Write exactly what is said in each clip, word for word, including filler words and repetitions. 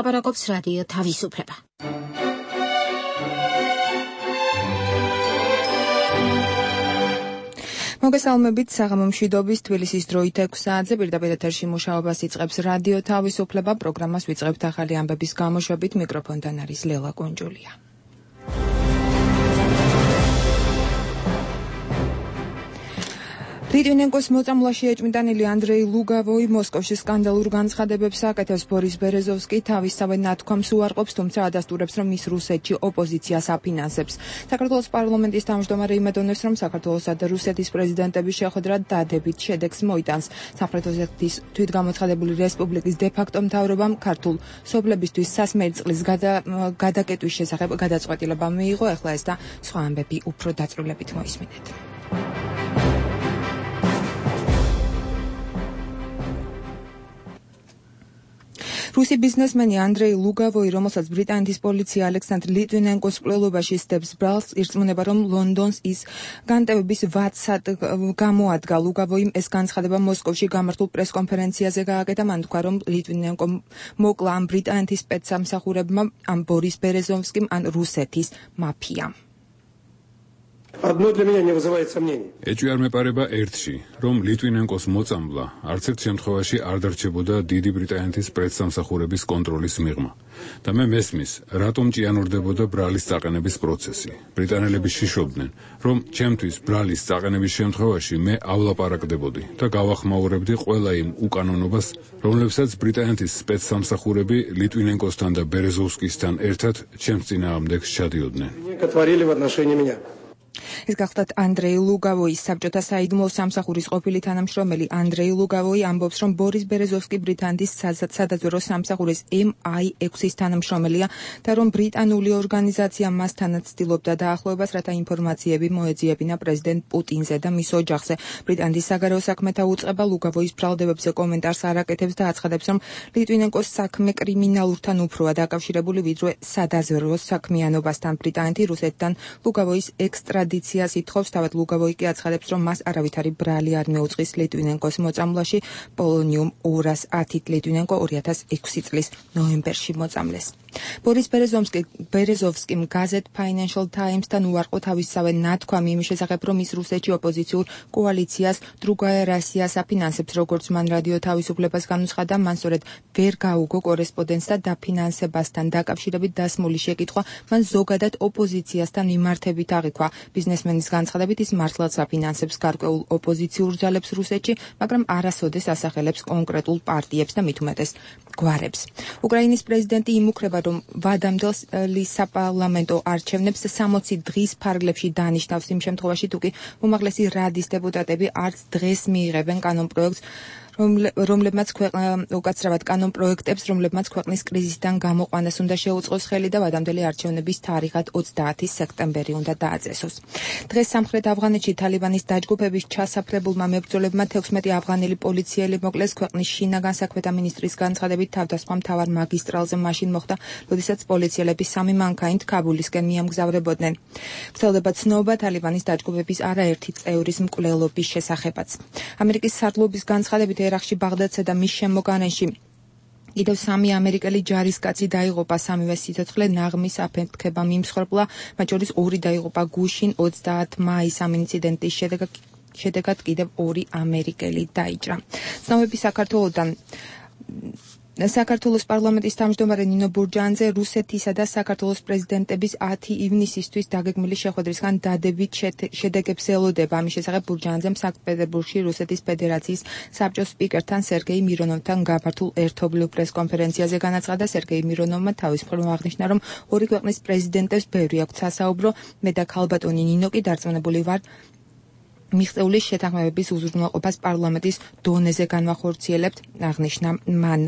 ლაპარაკობს რადიო თავისუფლება. მოგესალმებით საღამო მშვიდობის თბილისის დროით ექვსი საათზე პირდაპირ ეთერში მუშაობას იწყებს რადიო თავისუფლება. პროგრამას ვიწყებთ ახალი ამბების გამოშვებით. მიკროფონთან არის ლელა კონჯულია. ლიტვინენკოს მოწამვლაში ეჭვმიტანილი ანდრეი ლუგავოი მოსკოვში სკანდალურ განცხადებებს აკეთებს. ბორის ბერეზოვსკი თავისსავე ნათქვამს უარყოფს, თუმცა ადასტურებს, რომ ის რუსეთში ოპოზიციას აფინანსებს. საქართველოს პარლამენტის თავმჯდომარე იმედოვნებს, რომ საქართველოსა და რუსეთის პრეზიდენტების შეხვედრა დადებით შედეგს მოიტანს. სამხრეთ ოსეთის თვითგამოცხადებული რესპუბლიკის დე-ფაქტო მთავრობამ ქართულ სოფლებისთვის სასმელი წყლის გადაკეტვის შესახებ გადაწყვეტილება მიიღო. ახლა ეს და სხვა ამბები უფრო დაწვრილებით მოისმინეთ. რუსი ბიზნესმენი ანდრეი ლუგავოი, რომელსაც ბრიტანეთის პოლიცია ალექსანდრ ლიტვინენკოს მკვლელობაში სდებს ბრალს, ირწმუნება, რომ ლონდონს ის განტევების ვაცად გამოადგა. ლუგავოიმ ეს განცხადება მოსკოვში გამართულ პრესკონფერენციაზე გააკეთა. მან თქვა, რომ ლიტვინენკო მოკლა ამ ბრიტანეთის სპეცსამსახურებმა, ამ ბორის ბერეზოვსკიმ, ან რუსეთის მაფიამ. Одно для меня не вызывает сомнений. ეჭვი არ მეპარება ერთში, რომ ლიტვინენკოს მოწამვლა არც ერთ შემთხვევაში არ დარჩებოდა დიდი ბრიტანეთის პრესსამსახურების კონტროლის მიღმა. და მე მესმის, რატომ ჭიანურდებოდა ბრალის წაყენების პროცესი. ბრიტანელები შიშობდნენ, რომ ჩემთვის ბრალის წაყენების შემთხვევაში მეავლაპარაკდებოდი და გავახმაურებდი ყველა იმ უკანონობას, რომლებსაც ბრიტანეთის სპეცსამსახურები ლიტვინენკოსთან და ბერეზოვსკისთან ერთად ჩემს წინააღმდეგს ჩადიოდნენ. ეს გახლდათ ანდრეი ლუგავოის საბჭოთა საიდუმლო სამსახურის ყოფილი თანამშრომელი. ანდრეი ლუგავოი ამბობს, რომ ბორის ბერეზოვსკი ბრიტანეთის სადაზვერვო სამსახურის ემ აი ექვსის თანამშრომელია და რომ ბრიტანული ორგანიზაცია მასთანაც ცდილობდა დაახლოებას, რათა ინფორმაციები მოეძიებინა პრეზიდენტ პუტინზე და მის ოჯახზე. ბრიტანეთის საგარეო საქმეთა უწყება ლუგავოის ბრალდებებზე კომენტარს არ აკეთებს და აცხადებს, რომ ლიტვინენკოს საქმე კრიმინალურთან უფროა დაკავშირებული, ვიდრე სადაზვერვო საქმიანობასთან. ბრიტანეთი რუსეთთან ლუგავოის ექსტრადიციას ითხოვს. თავად ლუგავოი კი აცხადებს, რომ მას არავითარი ბრალი არ მეუწყის ლიტვინენკოს მოწამვლაში. პოლონიუმ ორას ათით ლიტვინენკო ორი ათას ექვსი წლის ნოემბერში მოწამლეს. ბორის ბერეზოვსკიმ გაზეთ Financial Times-თან უარყო თავისსავე ნათქვამი იმის შესახებ, რომ ის რუსეთში ოპოზიციურ კოალიციას დრუგაია რასიას აფინანსებს. როგორც მან რადიო თავისუფლებას განუცხადა, მან სწორედ ვერ გაუგო კორესპონდენტს და დაფინანსებასთან დაკავშირებით დასმული შეკითხვა მან ზოგადად ოპოზიციასთან მიმართებით აღიქვა. ბიზნესმენის განცხადებით, ის მართლაც აფინანსებს გარკვეულ ოპოზიციურ ძალებს რუსეთში, მაგრამ არასოდეს ასახელებს კონკრეტულ პარტიებს და მით უმეტეს გვარებს. უკრაინის პრეზიდენტი იმუქრება, რომ ვადამდელ საპარლამენტო არჩევნებს სამოცი დღის ფარგლებში დანიშნავს იმ შემთხვევაში, თუ კი უმაღლესი რადის დეპუტატები არც დღეს მიიღებენ კანონპროექტს, რომლებმაც უკაცრავად კანონპროექტებს, რომლებმაც ქვეყნის კრიზისიდან გამოყვანას უნდა შეუწყოს ხელი და ვადამდელი არჩევნების თარიღად ოცდაათი სექტემბერი უნდა დააწესოს. დღეს სამხრეთ ავღანეთში თალიბანის დაჯგუფების ჩასაფრებულმა მებრძოლებმა თექვსმეტი ავღანელი პოლიციელი მოკლეს. ქვეყნის შინაგან საქმეთა მინისტრის განცხადებით, თავდასხმა მთავარ მაგისტრალზე მაშინ მოხდა, როდესაც პოლიციელები სამი მანქანით ქაბულისკენ მიემგზავრებოდნენ. ვრცელდება ცნობა თალიბანის დაჯგუფების არაერთი წევრის მკვლელობის შესახებაც. ამერიკის სარდლობის განცხადებით, ერაყში ბაღდადსა და მის შემოგარენში კიდევ სამი ამერიკელი ჯარისკაცი დაიღუპა. სამივე სიცოცხლე ნაღმის აფეთქება მიმსხვერპლა, მათ შორის ორი დაიღუპა გუშინ ოცდაათი მაის. ამ ინციდენტის შედეგად შედეგად კიდევ ორი ამერიკელი დაიჭრა. ცნობები საქართველოსთან საქართველოს პარლამენტის თავმჯდომარე ნინო ბურჯანძე რუსეთისა და საქართველოს პრეზიდენტების ათი ივნისისთვის დაგეგმილი შეხვედრისგან დადებით შედეგებს ელოდება. ამის შესახებ ბურჯანძემ სანქტ-პეტერბურგში რუსეთის ფედერაციის საბჭოს სპიკერთან სერგეი მირონოვთან გამართულ ერთობლივ პრესკონფერენციაზე განაცხადა. სერგეი მირონოვმა თავის მხრივ აღნიშნა, რომ ორი ქვეყნის პრეზიდენტებს ბევრი აქვთ სასაუბრო. მე და ქალბატონი ნინო კი დარწმუნებული ვარ, მიღწეული შეთანხმებების უზრუნველყოფას პარლამენტის დონეზე განვახორციელებთ, აღნიშნა მან.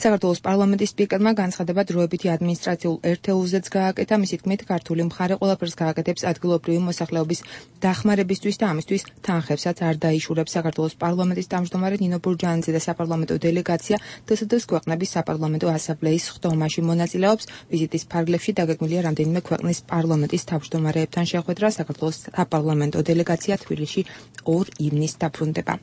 საქართველოს პარლამენტის სპიკერმა განცხადება დროებითი ადმინისტრაციულ ერთეულზეც გააკეთა. მისი თქმით, ქართული მხარე ყველაფერს გააკეთებს ადგილობრივი მოსახლეობის დახმარებისთვის და ამისთვის თანხებსაც არ დაიშურებს. საქართველოს პარლამენტის თავმჯდომარე ნინო ბურჯანიძე და საპარლამენტო დელეგაცია დსთ-ს ქვეყნების საპარლამენტო ასამბლეის ხდომაში მონაწილეობს. ვიზიტის ფარგლებში დაგეგმილია რამდენიმე ქვეყნის პარლამენტის თავმჯდომარეებთან შეხვედრა. საქართველოს საპარლამენტო დელეგაცია თბილისში ორ ივნისს დაბრუნდება.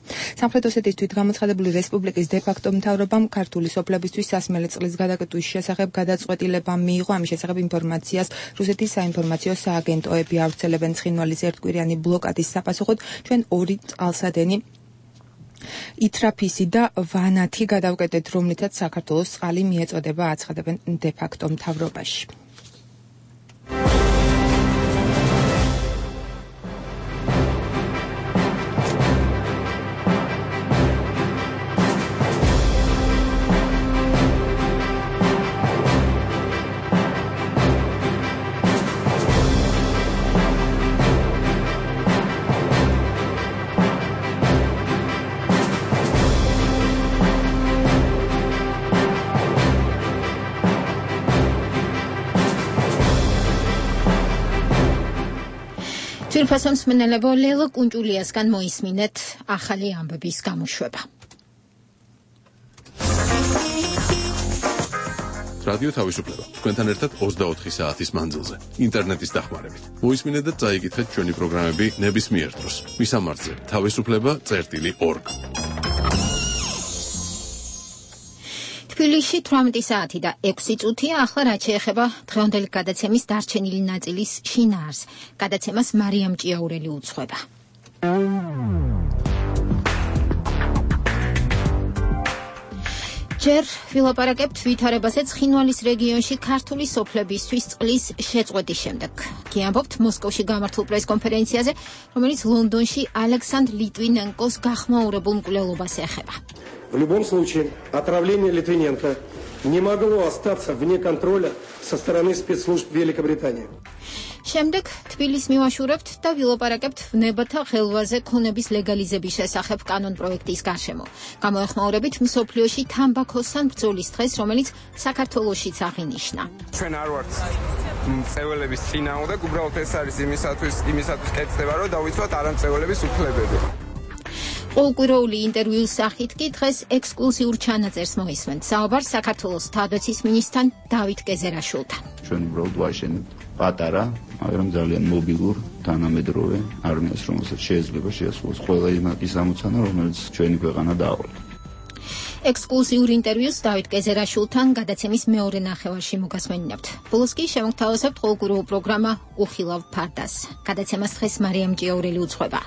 სამხრეთ ოსეთის თვითგამოცხადებული რესპუბლიკის დე-ფაქტო მთავრობამ ქართული სოფლებისთვის სასმელი წყლის გადაკეტვის შესახებ გადაწყვეტილება მიიღო. ამის შესახებ ინფორმაციას რუსეთის საინფორმაციო სააგენტოები ავრცელებენ. ცხინვალის ერთკვირიანი ბლოკადის საპასუხოდ ჩვენ ორი წყალსადენი ითრაფისი და ვანათი გადავკეტეთ, რომლითაც საქართველოს წყალი მიეწოდება, აცხადებენ დე-ფაქტო მთავრობაში. თვითფასონს მენელებო ლელო კუნჭულიასგან მოისმინეთ ახალი ამბების გამოშვება. რადიო თავისუფლება თქვენთან ერთად ოცდაოთხი საათის მანძილზე ინტერნეტის დახმარებით. მოისმინეთ და წაიკითხეთ ჩვენი პროგრამები ნებისმიერ დროს. მისამართზე თავისუფლება წერტილი ორგ. თბილისში თვრამეტი საათი და ექვსი წუთია. ახლა რაც შეეხება დღევანდელი გადაცემის დარჩენილი ნაწილის შინაარს. გადაცემას მარიამ ჭიაურელი უძღვება. ჯერ ვილაპარაკებთ ვითარებაზე ცხინვალის რეგიონში ქართული სოფლებისთვის წყლის შეწყვეტის შემდეგ. გიამბობთ მოსკოვში გამართულ პრესკონფერენციაზე, რომელიც ლონდონში ალექსანდრ ლიტვინენკოს გახმაურებულ მკვლელობას ეხება. В любом случае, отравление Литвиненко не могло остаться вне контроля со стороны спецслужб Великобритании. შემდეგ თბილისს მივაშურებთ და ვილაპარაკებთ ვნებათა ხელვაზე ქონების ლეგალიზების შესახებ კანონ პროექტის გარშემო. გამოეხმაურებით მსოფლიოში თამბაქოსთან ბრძოლის დღეს, რომელიც საქართველოშიც აღინიშნა. ჩვენ არ ვართ მწეველების წინააღმდეგ, უბრალოდ ეს არის იმისათვის, იმისათვის კეთდება, რომ დავიცვათ არამწეველების უფლებები. ყოველკვირეული ინტერვიუს სახით კი დღეს ექსკლუზიურ ჩანაწერს მოისმენთ. საუბარს საქართველოს თავდაცვის მინისტრთან დავით გეზერაშვილთან. ჩვენ უბრალოდ ვაშენებთ პატარა, მაგრამ ძალიან მობილურ თანამედროვე არმიას, რომელსაც შეიძლება შეასრულოს ყველა იმაკის ამოცანა, რომელიც ჩვენი ქვეყანა დაავალდა. ექსკლუზიურ ინტერვიუს დავით გეზერაშვილთან გადაცემის მეორე ნახევარში მოგასმენინებთ. ბოლოს კი შემოგთავაზებთ ყოველკვირეულ პროგრამა უხილავ ფარდას. გადაცემას დღეს მარიამ ჭიაურელი უძღვება.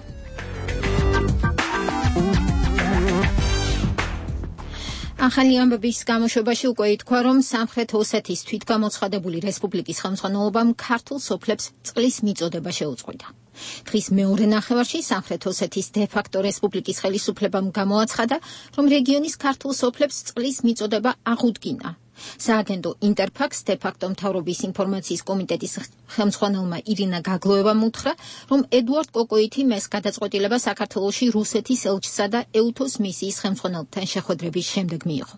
ახალი ამბების გამოშვებაში უკვე ითქვა, რომ სამხრეთ ოსეთის თვითგამოცხადებული რესპუბლიკის ხელმძღვანელობამ ქართულ სოფლებს წყლის მიწოდება შეუწყვეტა. დღის მეორე ნახევარში სამხრეთ ოსეთის დე-ფაქტო რესპუბლიკის ხელისუფლებამ გამოაცხადა, რომ რეგიონის ქართულ სოფლებს წყლის მიწოდება აღუდგინა. სააგენტო ინტერფაქს დე-ფაქტო მთავრობის ინფორმაციის კომიტეტის ხელმძღვანელმა ირინა გაგლოევამ უთხრა, რომ ედუარდ კოკოითიმ ეს გადაწყვეტილება საქართველოში რუსეთის ელჩსა და ეუთოს მისიის ხელმძღვანელთან შეხვედრების შემდეგ მიიღო.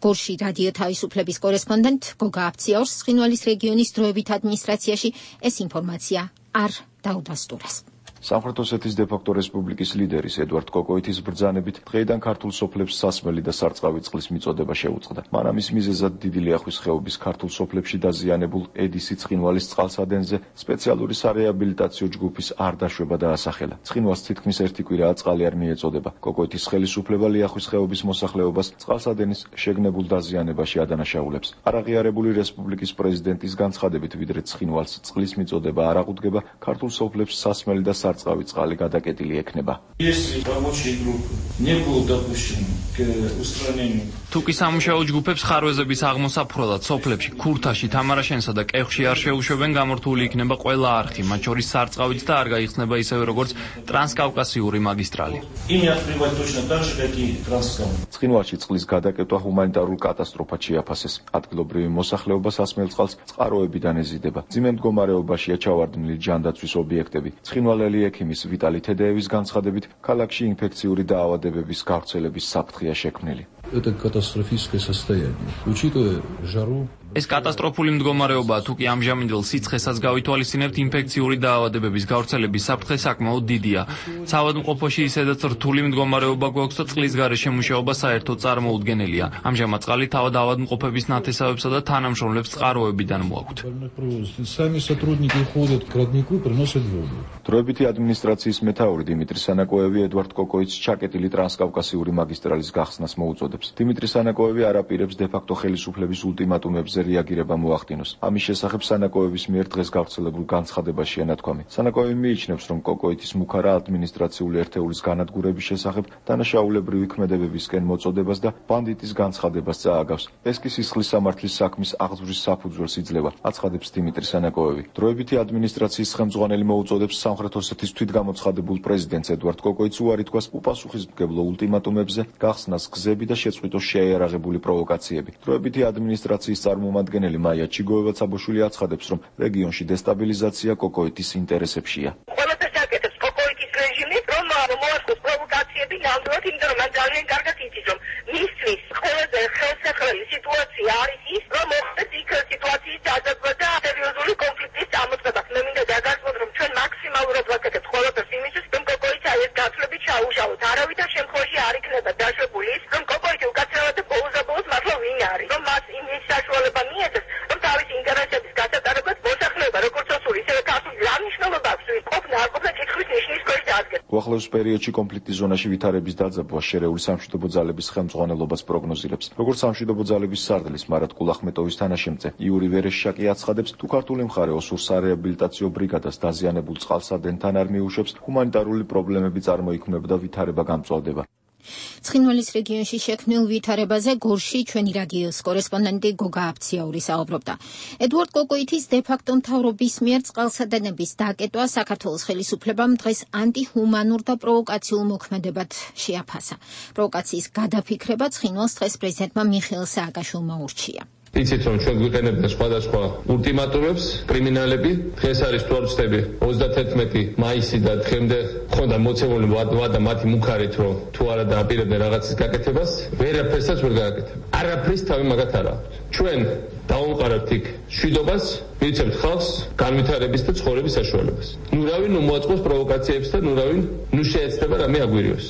გორში რადიო თავისუფლების კორესპონდენტ გოგა აფციაურს ცხინვალის რეგიონის დროებით ადმინისტრაციაში ეს ინფორმაცია არ დაუდასტურეს. სამხრეთ ოსეთის დე-ფაქტო რესპუბლიკის ლიდერის ედუარდ კოკოითის ბრძანებით დღეიდან ქართულ სოფლებს სასმელი და სარწყავი წყლის მიწოდება შეუწყდა. მანამის მიზეზად დიდი ლიახვის ხეობის ქართულ სოფლებში დაზიანებულ ედისი ცხინვალის წყალსადენზე სპეციალური სარეაბილიტაციო ჯგუფის არ დაშვება დაასახელა. ცხინვალს თითქმის ერთი კვირაა წყალი არ მიეწოდება. კოკოითის ხელისუფლება ლიახვის ხეობის მოსახლეობას წყალსადენის შეგნებულ დაზიანებაში ადანაშაულებს. არაღიარებული რესპუბლიკის პრეზიდენტის განცხადებით, ვიდრე ცხინვალს წყლის მიწოდება არ აღუდგება, ქართულ სოფლებს სასმელი და წყავი წყალი გადაკეტილი ექნება. თუ კი სამუშაო ჯგუფებს ხარვეზების აღმოსაფრთხოდ სოფლებში ქურთაში, თამარაშენსა და კეხში არ შეუშვებენ, გამორთული იქნება ყველა არხი, მათ შორის სარწყავიც და არ გაიხსნება ისევე როგორც ტრანსკავკასიური მაგისტრალი. ცხინვალში წყლის გადაკეტვა ჰუმანიტარულ კატასტროფად შეაფასეს. ადგილობრივი მოსახლეობა სასმელ წყალს წყაროებიდან ეზიდება. მძიმე მდგომარეობაშია ჩავარდნილი ჯანდაცვის ობიექტები. ცხინვალელი ექიმის ვიტალი თედეევის განცხადებით, ქალაქში ინფექციური დაავადებების გავრცელების საფრთხეა შექმნილი. ეს კატასტროფული მდგომარეობაა, თუ კი ამჟამინდელ სიცხესაც გავითვალისწინებთ, ინფექციური დაავადებების გავრცელების საფრთხე საკმაოდ დიდია. საავადმყოფოში ისედაც რთული მდგომარეობა გვაქვს და წყლის გარეშე მუშაობა საერთოდ წარმოუდგენელია. ამჟამად წყალი თავად ავადმყოფების ნათესავებსა და თანამშრომლებს წყაროებიდან მოაქვთ. დროებითი ადმინისტრაციის მეთაური დიმიტრი სანაკოევი ედვარდ კოკოიძს ჩაკეტილი ტრანსკავკასიური მაგისტრალის გახსნას მოუწოდებს. დიმიტრი სანაკოევი არ აპირებს დე-ფაქტო ხელისუფლების ულტიმატუმებზე რეაგირება მოახდინოს. ამის შესახებ სანაკოევის მიერ დღეს გავრცელებულ განცხადებაშია ნათქვამი. სანაკოევი მიიჩნევს, რომ კოკოიძის მუქარა ადმინისტრაციული ერთეულის განადგურების შესახებ დანაშაულებრივი ქმედებებისკენ მოწოდებას და ბანდიტის განცხადებას წააგავს. ეს კი სისხლის სამართლის საქმის აღძვრის საფუძველს იძლევა, აცხადებს დიმიტრი სანაკოევი. დროებითი ადმინისტრაციის ხელმძღვანელი მოუწოდებს სამხრეთ ოსეთის თვითგამოცხადებულ პრეზიდენტს ედვარდ კოკოიძს უარი თქვას უპასუხისმგებლო ულტიმატუმებზე, გახსნას გზები და შეწყვიტოს შეიარაღებული პროვოკაციები. დროებითი ადმინისტრაციის წარმომადგენელი მაია ჩიგოევა-ცაბოშვილი აცხადებს, რომ რეგიონში დესტაბილიზაცია კოკოიძის ინტერესებშია. ყველაფერს აკეთებს კოკოიძის რეჟიმი, რომ მოახდოს პროვოკაციები ნამდვილად, იმიტომ რომ მან ძალიან კარგად იცის, რომ მისთვის ყველაზე ხელსაყრელი სიტუაცია არის ის, რომ მოხდეს იქ სიტუაციის დაძაბვა და სერიოზული კონფლიქტის წამოწყება. მე მინდა დაგასვათ, რომ ჩვენ მაქსიმალურად ვაკეთებთ ყველაფერს იმისთვის, რომ კოკოიძე ეს გათვლებით ჩაუშალოთ. არავითარ შემთხვევაში არ იქნება დაშვებული ის, რომ კოკოიძე უკაცრავად და ბოლოს-ბოლოს მართლა ვინ არის, რომ მას იმის საშუალება მიეცეს, რომ თავის ინტერესების გასატარებლად მოსახლეობა, როგორც ოსური, ისევე ქართული რა მნიშვნელობა აქვს, ყოფნა არ ყოფნა კითხვის ნიშნის ქვეშ დაადგეს. უახლოეს პერიოდში კონფლიქტის ზონაში ვითარების დაძაბვა შერეული სამშვიდობო ძალების ხელმძღვანელობას პროგნოზირებს. როგორც სამშვიდობო ძალების სარდლის მარად კულახმეტოვის თანაშემწე იური ვერეშაკი აცხადებს, თუ ქართული მხარე ოსურ სარეაბილიტაციო ბრიგადას დაზიანებულ წყალსადენთან არ მიუშვებს, ჰუმანიტარული პრობლემები წარმოიქმნება და ვითარება გამწვავდება. ცხინვალის რეგიონში შექმნილ ვითარებაზე გორში ჩვენი რადიოს კორესპონდენტი გოგა აფციაური საუბრობდა. ედვარდ კოკოიძის დე-ფაქტო მთავრობის მიერ წყალსადენების დაკეტვა საქართველოს ხელისუფლებამ დღეს ანტიჰუმანურ და პროვოკაციულ მოქმედებად შეაფასა. პროვოკაციის გადაფიქრება ცხინვალს დღეს პრეზიდენტმა მიხეილ სააკაშვილმა ურჩია. იცით, რომ ჩვენ გვიყენებდა სხვადასხვა ულტიმატუმებს, კრიმინალები, დღეს არის თუ არ ვცდები ოცდათერთმეტი მაისი და დღემდე ხონდა მოცემული ვადა მათი მუქარით, რომ თუ არა დააპირებდნენ რაღაცის გაკეთებას, ვერაფერსაც ვერ გააკეთებენ. არაფრის თავი მაგათ არ აქვს. ჩვენ დავამყარებთ იქ მშვიდობას, მივიცემთ ხალხს განვითარების და ცხოვრების საშუალებას. ნუ რავინ ნუ მოაწყოს პროვოკაციებს და ნუ რავინ ნუ შეეცდება რამე აგვირიოს.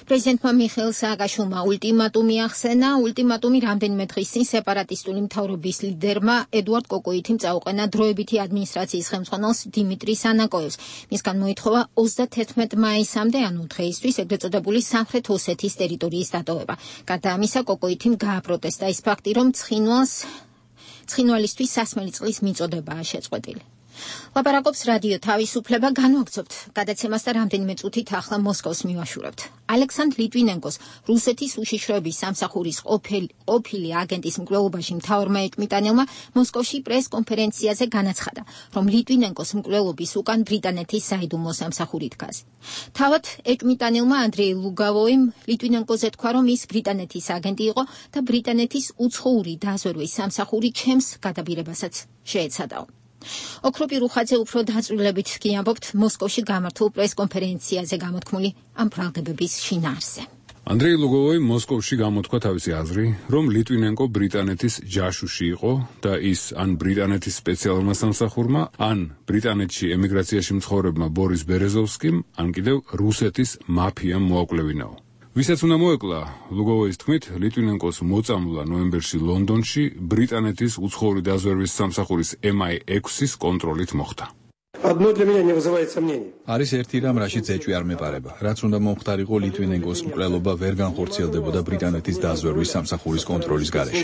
პრეზიდენტმა მიხეილ სააკაშვილმა ულტიმატუმი ახსენა. ულტიმატუმი რამდენიმე დღის წინ სეპარატისტული მთავრობის ლიდერმა ედვარდ კოკოიძემ წაუყენა დროებითი ადმინისტრაციის ხელმძღვანელს დიმიტრი სანაკოევს. მისგან მოითხოვა ოცდათერთმეტ მაისამდე, ანუ დღეისთვის, ეგრეთ წოდებული სამხრეთ ოსეთის ტერიტორიის დატოვება. გარდა ამისა, კოკოიძემ გააპროტესტა ის ფაქტი, რომ ცხინვალს ცხინვალისთვის სასმელი წყლის მიწოდებაა შეწყვეტილი. ლაპარაკობს რადიო თავისუფლება, განვაგრძობთ გადაცემას და რამდენიმე წუთით ახლა მოსკოვს მივაშურებთ. ალექსანდრ ლიტვინენკოს რუსეთის უშიშროების სამსახურის ყოფილი აგენტის მკვლელობაში მთავარმა ეკმიტანელმა მოსკოვში პრეს-კონფერენციაზე განაცხადა, რომ ლიტვინენკოს მკვლელობის უკან ბრიტანეთის საიდუმლო სამსახური დგას. თავად ეკმიტანელმა ანდრეი ლუგავოიმ ლიტვინენკოზე თქვა, რომ ის ბრიტანეთის აგენტი იყო და ბრიტანეთის უცხოური დაზვერვის სამსახური ჩემს გადაბირებასაც შეეცადაო. ოქროპი რუხაძე უფრო დაწვრილებით კი ამბობთ მოსკოვში გამართულ პრეს-კონფერენციაზე გამოთქმული ამ ბრალდებების შინაარსზე. ანდრეი ლუგოვოი მოსკოვში გამოთქვა თავისი აზრი, რომ ლიტვინენკო ბრიტანეთის ჯაშუში იყო და ის ან ბრიტანეთის სპეციალურმა სამსახურმა, ან ბრიტანეთში ემიგრაციაში მცხოვრებმა ბორის ბერეზოვსკიმ, ან კიდევ რუსეთის მაფიამ მოაკვლევინაო. ვისაც უნდა მოეკლა, ლუგოვოის თქმით, ლიტვინენკოს მოწამვლა ნოემბერში ლონდონში ბრიტანეთის უცხოური დაზვერვის სამსახურის ემ აი ექვსის კონტროლით მოხდა. არის ერთი რამ, რაშიც ეჭვი არ მეპარება. რაც უნდა მომხდარიყო, ლიტვინენკოს მკვლელობა ვერ განხორციელდებოდა ბრიტანეთის დაზვერვის სამსახურის კონტროლის გარეშე.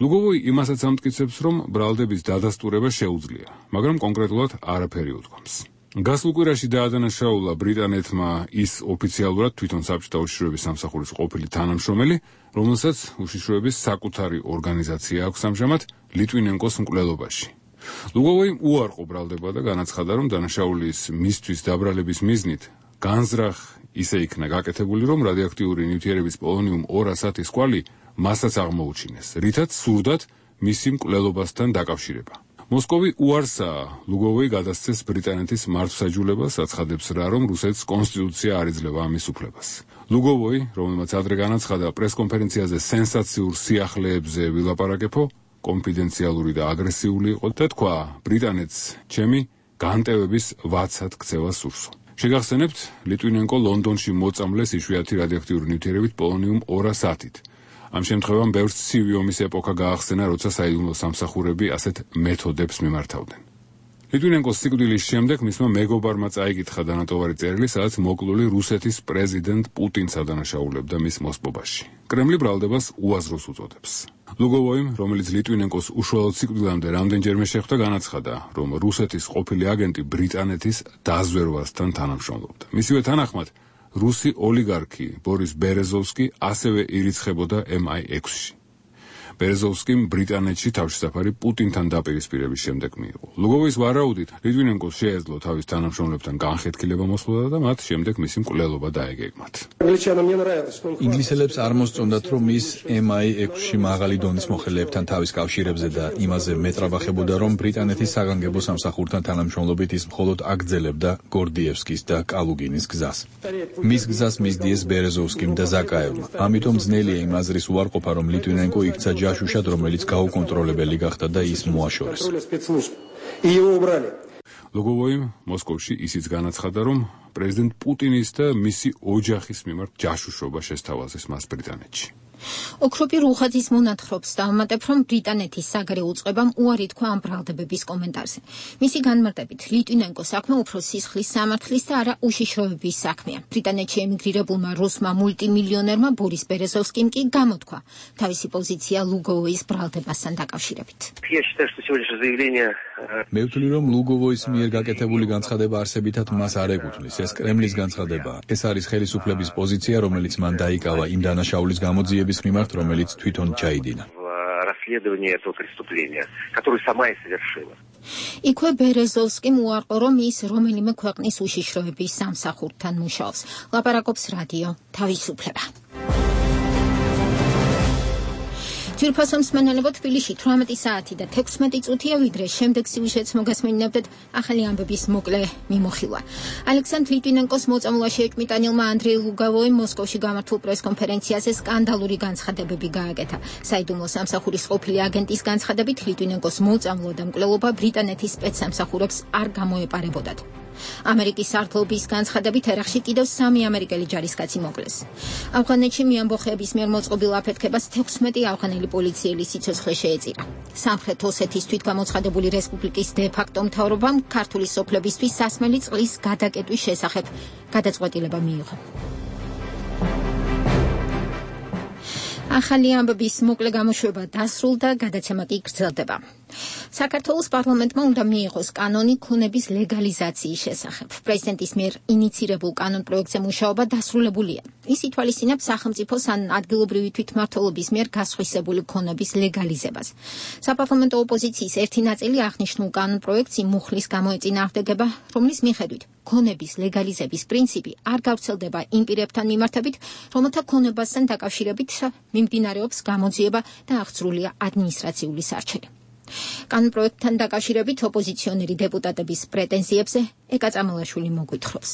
ლუგოვოი იმასაც ამტკიცებს, რომ ბრალდების დადასტურება შეუძლია, მაგრამ კონკრეტულად არაფერი უთქვამს. გასულ კვირაში დაადანაშაულა ბრიტანეთმა ის ოფიციალურად თვითონ საბჭოთა უშიშროების სამსახურის ყოფილი თანამშრომელი, რომელსაც უშიშროების საკუთარი ორგანიზაცია აქვს ამჟამად ლიტვინენკოს მკვლელობაში. ლუგოვოიმ უარყო ბრალდება და განაცხადა, რომ დანაშაულის მისთვის დაბრალების მიზნით განზრახ ისე იქნა გაკეთებული, რომ რადიოაქტიური ნივთიერების პოლონიუმ ორასათის კვალი მასაც აღმოუჩინეს, რითაც სურდათ მისი მკვლელობასთან დაკავშირება. მოსკოვი უარსაა ლუგოვოი გადასცეს ბრიტანეთის მართლმსაჯულებას, აცხადებს რა, რომ რუსეთის კონსტიტუცია არ იძლევა ამის უფლებას. ლუგოვოი, რომელმაც ადრე განაცხადა პრეს-კონფერენციაზე სენსაციურ სიახლეებზე ვილაპარაკებო, კონფიდენციალური და აგრესიული იყო და თქვა, ბრიტანეთს ჩემი განტევების ვაცად ქცევა სურსო. შეგახსენებთ, ლიტვინენკო ლონდონში მოწამლეს იშვიათი რადიოაქტიური ნივთიერებით პოლონიუმ ორასათით. ამ შემთხვევამ ბევრს ცივი ომის ეპოქა გაახსენა, როცა საიდუმლო სამსახურები ასეთ მეთოდებს მიმართავდნენ. ლიტვინენკოს სიკვდილის შემდეგ მისმა მეგობარმა წაიკითხა დანატოვარი წერილი, სადაც მოკლული რუსეთის პრეზიდენტ პუტინს ადანაშაულებდა მის მოსპობაში. კრემლი ბრალდებას უაზროს უწოდებს. ლუგოვოიმ, რომელიც ლიტვინენკოს უშუალოდ სიკვდილამდე რამდენჯერმე შეხვდა, განაცხადა, რომ რუსეთის ყოფილი აგენტი ბრიტანეთის დაზვერვასთან თანამშრომლობდა. მისივე თანახმად, რუსი ოლიგარქი ბორის ბერეზოვსკი ასევე ირიცხებოდა ემ აი ექვსში. ბერეზოვსკიმ ბრიტანეთში თავშესაფარი პუტინთან დაპირისპირების შემდეგ მიიღო. ლუგოვოის ვარაუდით, ლიტვინენკოს შეეძლო თავის თანამშრომლებთან განხეთქილება მოსხოდა და მათ შემდეგ მისი მკვლელობა დაეგეგმათ. ინგლისელებს არ მოსწონდათ, რომ ის ემ აი ექვსში მაღალი დონის მოხელეებთან თავის კავშირებზე და იმაზე მეტრაბახებოდა, რომ ბრიტანეთის საგანგებო სამსახურთან თანამშრომლობით ის მხოლოდ აგრძელებდა გორდიევსკის და კალუგინის გზას. მის გზას მისდიეს ბერეზოვსკიმ და ზაკაევმა. ამიტომ ძნელია იმ აზრის უარყოფა, რომ ლიტვინენკო იქცა ჯაშუშად, რომელიც გაუკონტროლებელი გახდა და ის მოაშორეს. ლუგოვოიმ მოსკოვში ისიც განაცხადა, რომ პრეზიდენტ პუტინის და მისი ოჯახის მიმართ ჯაშუშობა შესთავაზეს მას ბრიტანეთში. ოქროპი რუხაძის მონათხრობს დავუმატებ, რომ ბრიტანეთის საგარეო უწყებამ უარი თქვა ამ ბრალდებების კომენტარზე. მისი განმარტებით, ლიტვინენკოს საქმე უფრო სისხლის სამართლის და არა უშიშროების საქმეა. ბრიტანეთში ემიგრირებულმა რუსმა მულტიმილიონერმა ბორის ბერეზოვსკიმ კი გამოთქვა თავისი პოზიცია ლუგოვოის ბრალდებასთან დაკავშირებით. მე ვთვლი, რომ ლუგოვოის მიერ გაკეთებული განცხადება არსებითად მას არ ეკუთვნის. ეს კრემლის განცხადებაა. ეს არის ხელისუფლების პოზიცია, რომელიც მან დაიკავა იმ დანაშაულის გამოძიების მიმართ, რომელიც თვითონ ჩაიდინა. იქვე ბერეზოვსკიმ უარყო, რომ ის რომელიმე ქვეყნის უშიშროების სამსახურთან მუშაობს. ლაპარაკობს რადიო თავისუფლება. ძვირფასო მსმენელებო, თბილისში თვრამეტი საათი და თექვსმეტი წუთია, ვიდრე შემდეგ სიუჟეტს მოგასმენინებდეთ ახალი ამბების მოკლე მიმოხილვა. ალექსანდრ ლიტვინენკოს მოწამვლაში ეჭვმიტანილმა ანდრეი ლუგოვოიმ მოსკოვში გამართულ პრეს-კონფერენციაზე სკანდალური განცხადებები გააკეთა. საიდუმლო სამსახურის ყოფილი აგენტის განცხადებით, ლიტვინენკოს მოწამვლა და მკვლელობა ბრიტანეთის სპეცსამსახურებს არ გამოეპარებოდათ. ამერიკის სარდლობის განცხადებით ერახში კიდევ სამი ამერიკელი ჯარისკაცი მოკლეს. ავღანეთში მიამბოხეების მიერ მოწყობილ აფეთქებას თექვსმეტი ავღანელი პოლიციელი სიცოცხლე შეეწირა. სამხრეთ ოსეთის თვითგამოცხადებული რესპუბლიკის დე-ფაქტო მთავრობამ ქართული სოფლებისთვის სასმელი წყლის გადაკეტვის შესახებ გადაწყვეტილება მიიღო. ახალი ამბების მოკლე გამოშვება დასრულდა, გადაცემა კი გრძელდება. საქართველოს პარლამენტმა უნდა მიიღოს კანონი ქონების ლეგალიზაციის შესახებ. პრეზიდენტის მიერ ინიცირებულ კანონ პროექტზე მუშაობა დასრულებულია. ის ითვალისწინებს სახელმწიფოს ან ადგილობრივი თვითმმართველობის მიერ გასხვისებული ქონების ლეგალიზებას. საპარლამენტო ოპოზიციის ერთი ნაწილი აღნიშნულ კანონ პროექტს იმ მუხლის გამოეწინააღმდეგება, რომლის მიხედვით ქონების ლეგალიზების პრინციპი არ გავრცელდება იმ პირებთან მიმართებით, რომელთა ქონებასთან დაკავშირებით მიმდინარეობს გამოძიება და აღძრულია ადმინისტრაციული სარჩელი. კანონ პროექტთან დაკავშირებით ოპოზიციონერი დეპუტატების პრეტენზიებზე ეკა წამალაშვილი მოგვითხრობს.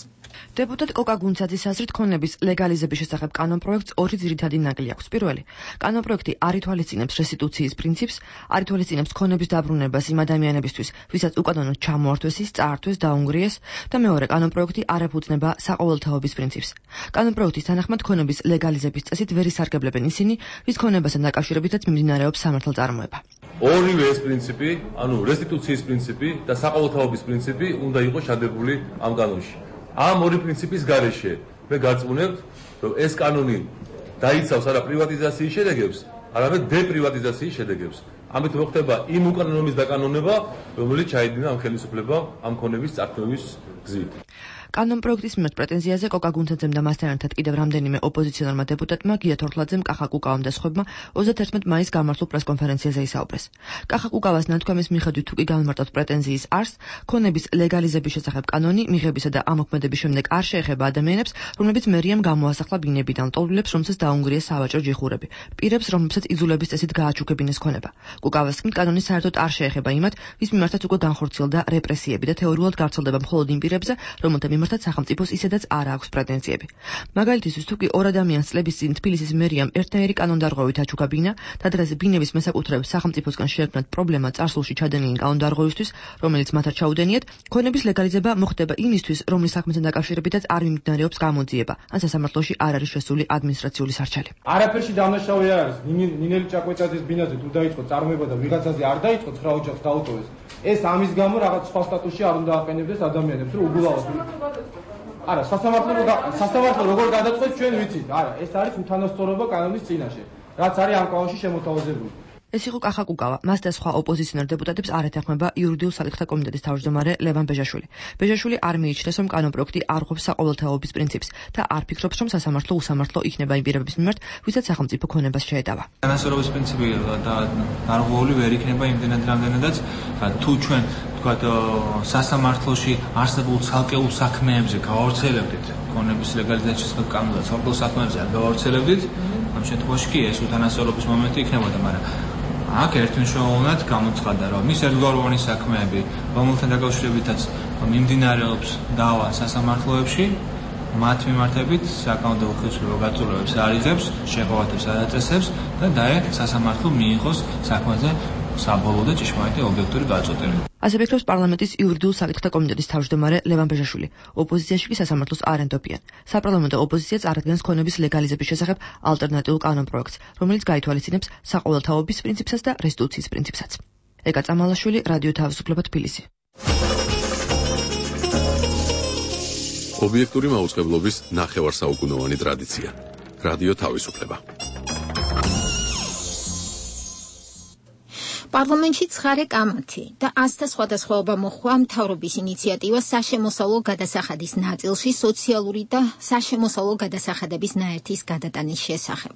დეპუტატ კოკა გუნცაძის აზრით, ქონების ლეგალიზების შესახებ კანონ პროექტს ორი ძირითადი ნაკლი აქვს. პირველი, კანონ პროექტი არ ითვალისწინებს რესტიტუციის პრინციპს, არ ითვალისწინებს ქონების დაბრუნებას იმ ადამიანებისთვის, ვისაც უკანონოდ ჩამოართვეს ის, წაართვეს, დაუნგრიეს, და მეორე, კანონ პროექტი არ ეფუძნება საყოველთაობის პრინციპს. კანონ პროექტის თანახმად ქონების ლეგალიზების წესით ვერ ისარგებლებენ ისინი, ვის ქონებასთან დაკავშირებითაც მიმდინარეობს სამართალწარმოება. ორივე ეს პრინციპი, ანუ რესტიტუციის პრინციპი და საყოველთაობის პრინციპი უნდა იყოს შადებული ამ კანონში. ამ ორი პრინციპის გარეშე მე გაწმუნებთ, რომ ეს კანონი დაიცავს არა პრივატიზაციის შედეგებს, არამედ დეპრივატიზაციის შედეგებს. ამით მოხდება იმ უკანონობის დაკანონება, რომელიც ჩაიდინა ამ ხელისუფლებამ ამ ქონების წარქმევის გზით. კანონ პროექტის მიმართ პრეტენზიაზე კოკა გუნცაძემ და მასთან ერთად კიდევ რამდენიმე ოპოზიციონერმა დეპუტატმა, გია თორთლაძემ, კახა კუკავამ და სხვებმა ოცდაათერთმეტ მაისს გამართულ პრეს-კონფერენციაზე ისაუბრეს. კახა კუკავას ნათქვამის მიხედვით, თუ კი გამარტავთ პრეტენზიის არსს, ქონების ლეგალიზების შესახებ კანონი მიღებისა და ამოქმედების შემდეგ არ შეეხება ადამიანებს, რომლებიც მერიამ გამოასახლა ბინებიდან, ლტოლვილებს, რომცეს დაუნგრიეს სავაჭრო ჯიხურები, პირებს, რომლებსაც იძულების წესით გააჩუქებინეს ქონება. კუკავას თქმით, კანონი საერთოდ არ შეეხება იმათ, ვის მიმართაც უკვე განხორციელდა რეპრესიები და თეორიულად გავრცელდება მხოლოდ იმ პირებზე, რომელთა მიმართაც სახელმწიფოს ისედაც არ აქვს პრეტენზიები. მაგალითისთვის, თუ კი ორ ადამიანს წლების წინ თბილისის მერიამ ერთნაირი კანონდარღვევით აჩუქა ბინა, და დღეს ბინების მესაკუთრეებს სახელმწიფოსგან შეექმნათ პრობლემა წარსულში ჩადენილი კანონდარღვევისთვის, რომელიც მათ არ ჩაუდენიათ, ქონების ლეგალიზება მოხდება იმისთვის, რომლის საქმესთან დაკავშირებითაც არ მიმდინარეობს გამოძიება, ან სასამართლოში არ არის შესული ადმინისტრაციული სარჩელი. არაფერში დამნაშავე არ არის. ნინელი ჭაკვეჭაძის ბინაზე თუ დაიწყო წარმოება და ვიღაცაზე არ დაიწყო ცხრა ოჯახს დაუტოვეს, ეს ამის გამო რაღაც სხვა სტატუსში არ უნდა აყენებდეს ადამიანებს, რომ უგულავად. არა, სასამართლო სასამართლო როგორ გადაწყვეტს ჩვენ ვიცით. არა, ეს არის უთანასწორობა კანონის წინაშე, რაც არის ამ კანონში შემოთავაზებული. ეს იყო კახა კუკავა. მას და სხვა ოპოზიციონერ დეპუტატებს არ ეთანხმება იურიდიულ საკითხთა კომიტეტის თავმჯდომარე ლევან ბეჟაშვილი. ბეჟაშვილი არ მიიჩნევს, რომ კანონპროექტი არ ღვევს საყოველთაობის პრინციპს და არ ფიქრობს, რომ სასამართლო უსამართლო იქნება იმ პირების მიმართ, ვისაც სახელმწიფო ქონებას შეეტავა. თანასწორობის პრინციპი და დარღვეული ვერ იქნება იმდენად რამდენადაც თუ ჩვენ თქვათ სასამართლოში არსებულ ცალკეულ საქმეებზე გავავრცელებდით, ქონების ლეგალიზაციის კანონზე ცალკეულ საქმეებზე არ გავავრცელებდით, ამ შემთხვევაში კი ეს უთანასწორობის მომენტი იქნებოდა, მაგრამ აქ ერთმნიშვნელოვნად გამოცხადა, რომ ის ერთგვაროვანი საქმეები, რომელთან დაკავშირებითაც მიმდინარეობს დავა სასამართლოებში, მათ მიმართებით საკანონმდებლო ხელისუფლება გაწურვებებს არ იღებს, შეღავათებს არ აწესებს და დაე სასამართლო მიიღოს საქმეზე საბოლოო და ჭიშმარიტი ობიექტური გაწყვეტილება. ასე ფიქრობს პარლამენტის იურიდიულ საკითხთა კომიტეტის თავმჯდომარე ლევან ბეჟაშვილი. ოპოზიციაში კი სასამართლოს არ ენდობიან. საპარლამენტო ოპოზიცია წარადგენს ქონების ლეგალიზების შესახებ ალტერნატიულ კანონპროექტს, რომელიც გაითვალისწინებს საყოველთაობის პრინციპსაც და რესტიტუციის პრინციპსაც. ეკა წამალაშვილი, რადიო თავისუფლება, თბილისი. ობიექტური მაუწყებლობის ნახევარსაუკუნოვანი ტრადიცია. რადიო თავისუფლება. პარლამენტში ცხარე კამათი და ასთა სხვადასხვაობა მოხდა მთავრობის ინიციატივა საშემოსავლო გადასახადის ნაწილში სოციალური და საშემოსავლო გადასახადების ნაერთის გადატანის შესახებ.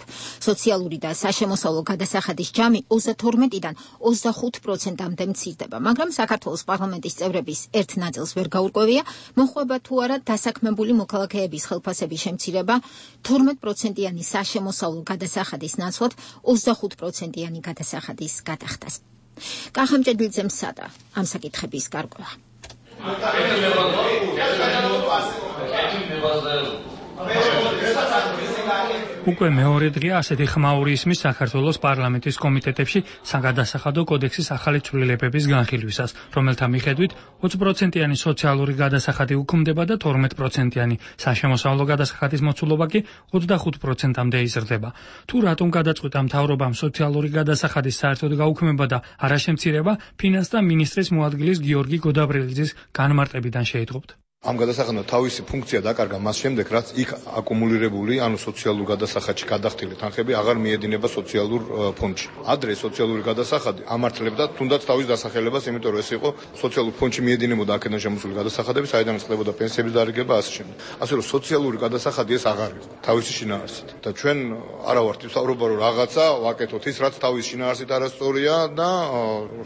სოციალური და საშემოსავლო გადასახადის ჯამი ოცდათორმეტიდან ოცდახუთ პროცენტამდე მცირდება, მაგრამ საქართველოს პარლამენტის წევრების ერთ ნაწილს ვერ გაურკვევია, მოხდება თუ არა დასაქმებული მოქალაქეების ხელფასების შემცირება, თორმეტ პროცენტიანი საშემოსავლო გადასახადის ნაცვლად ოცდახუთ პროცენტიანი გადასახადის გადახდას. კახამჭედლიძემ სადა ამ საკითხების გარკვევა. უკვე მეორე დღეა ასეთი ხმაური ისმის საქართველოს პარლამენტის კომიტეტებში საგადასახადო კოდექსის ახალი ცვლილებების განხილვისას, რომელთა მიხედვით ოცი პროცენტიანი სოციალური გადასახადი უქმდება და თორმეტ პროცენტიანი საშემოსავლო გადასახადის მოცულობა კი ოცდახუთ პროცენტამდე იზრდება. თუ რატომ გადაწყვიტა მთავრობამ სოციალური გადასახადის საერთოდ გაუქმება და არაშემცირება, ფინანსთა მინისტრის მოადგილის გიორგი გოდაბრელიძის განმარტებიდან შეიტყობთ. ამ გადასახადმა თავისი ფუნქცია დაკარგა მას შემდეგ, რაც იქ აკუმულირებული, ანუ სოციალურ გადასახადში გადახდილი თანხები აღარ მიედინება სოციალურ ფონდში. ადრე სოციალური გადასახადი ამართლებდა თუნდაც თავის დასახელებას, იმიტომ რომ ეს იყო სოციალურ ფონდში მიედინებოდა აქედან შემოსული გადასახადები, საიდანაც ხდებოდა პენსიების დარიგება ასე შემდეგ. ასე რომ სოციალური გადასახადი ეს აღარ იყო თავისი შინაარსით. და ჩვენ არა ვართ ვსაუბრობ რომ რაღაცა ვაკეთოთ ის, რაც თავის შინაარსით არასწორია და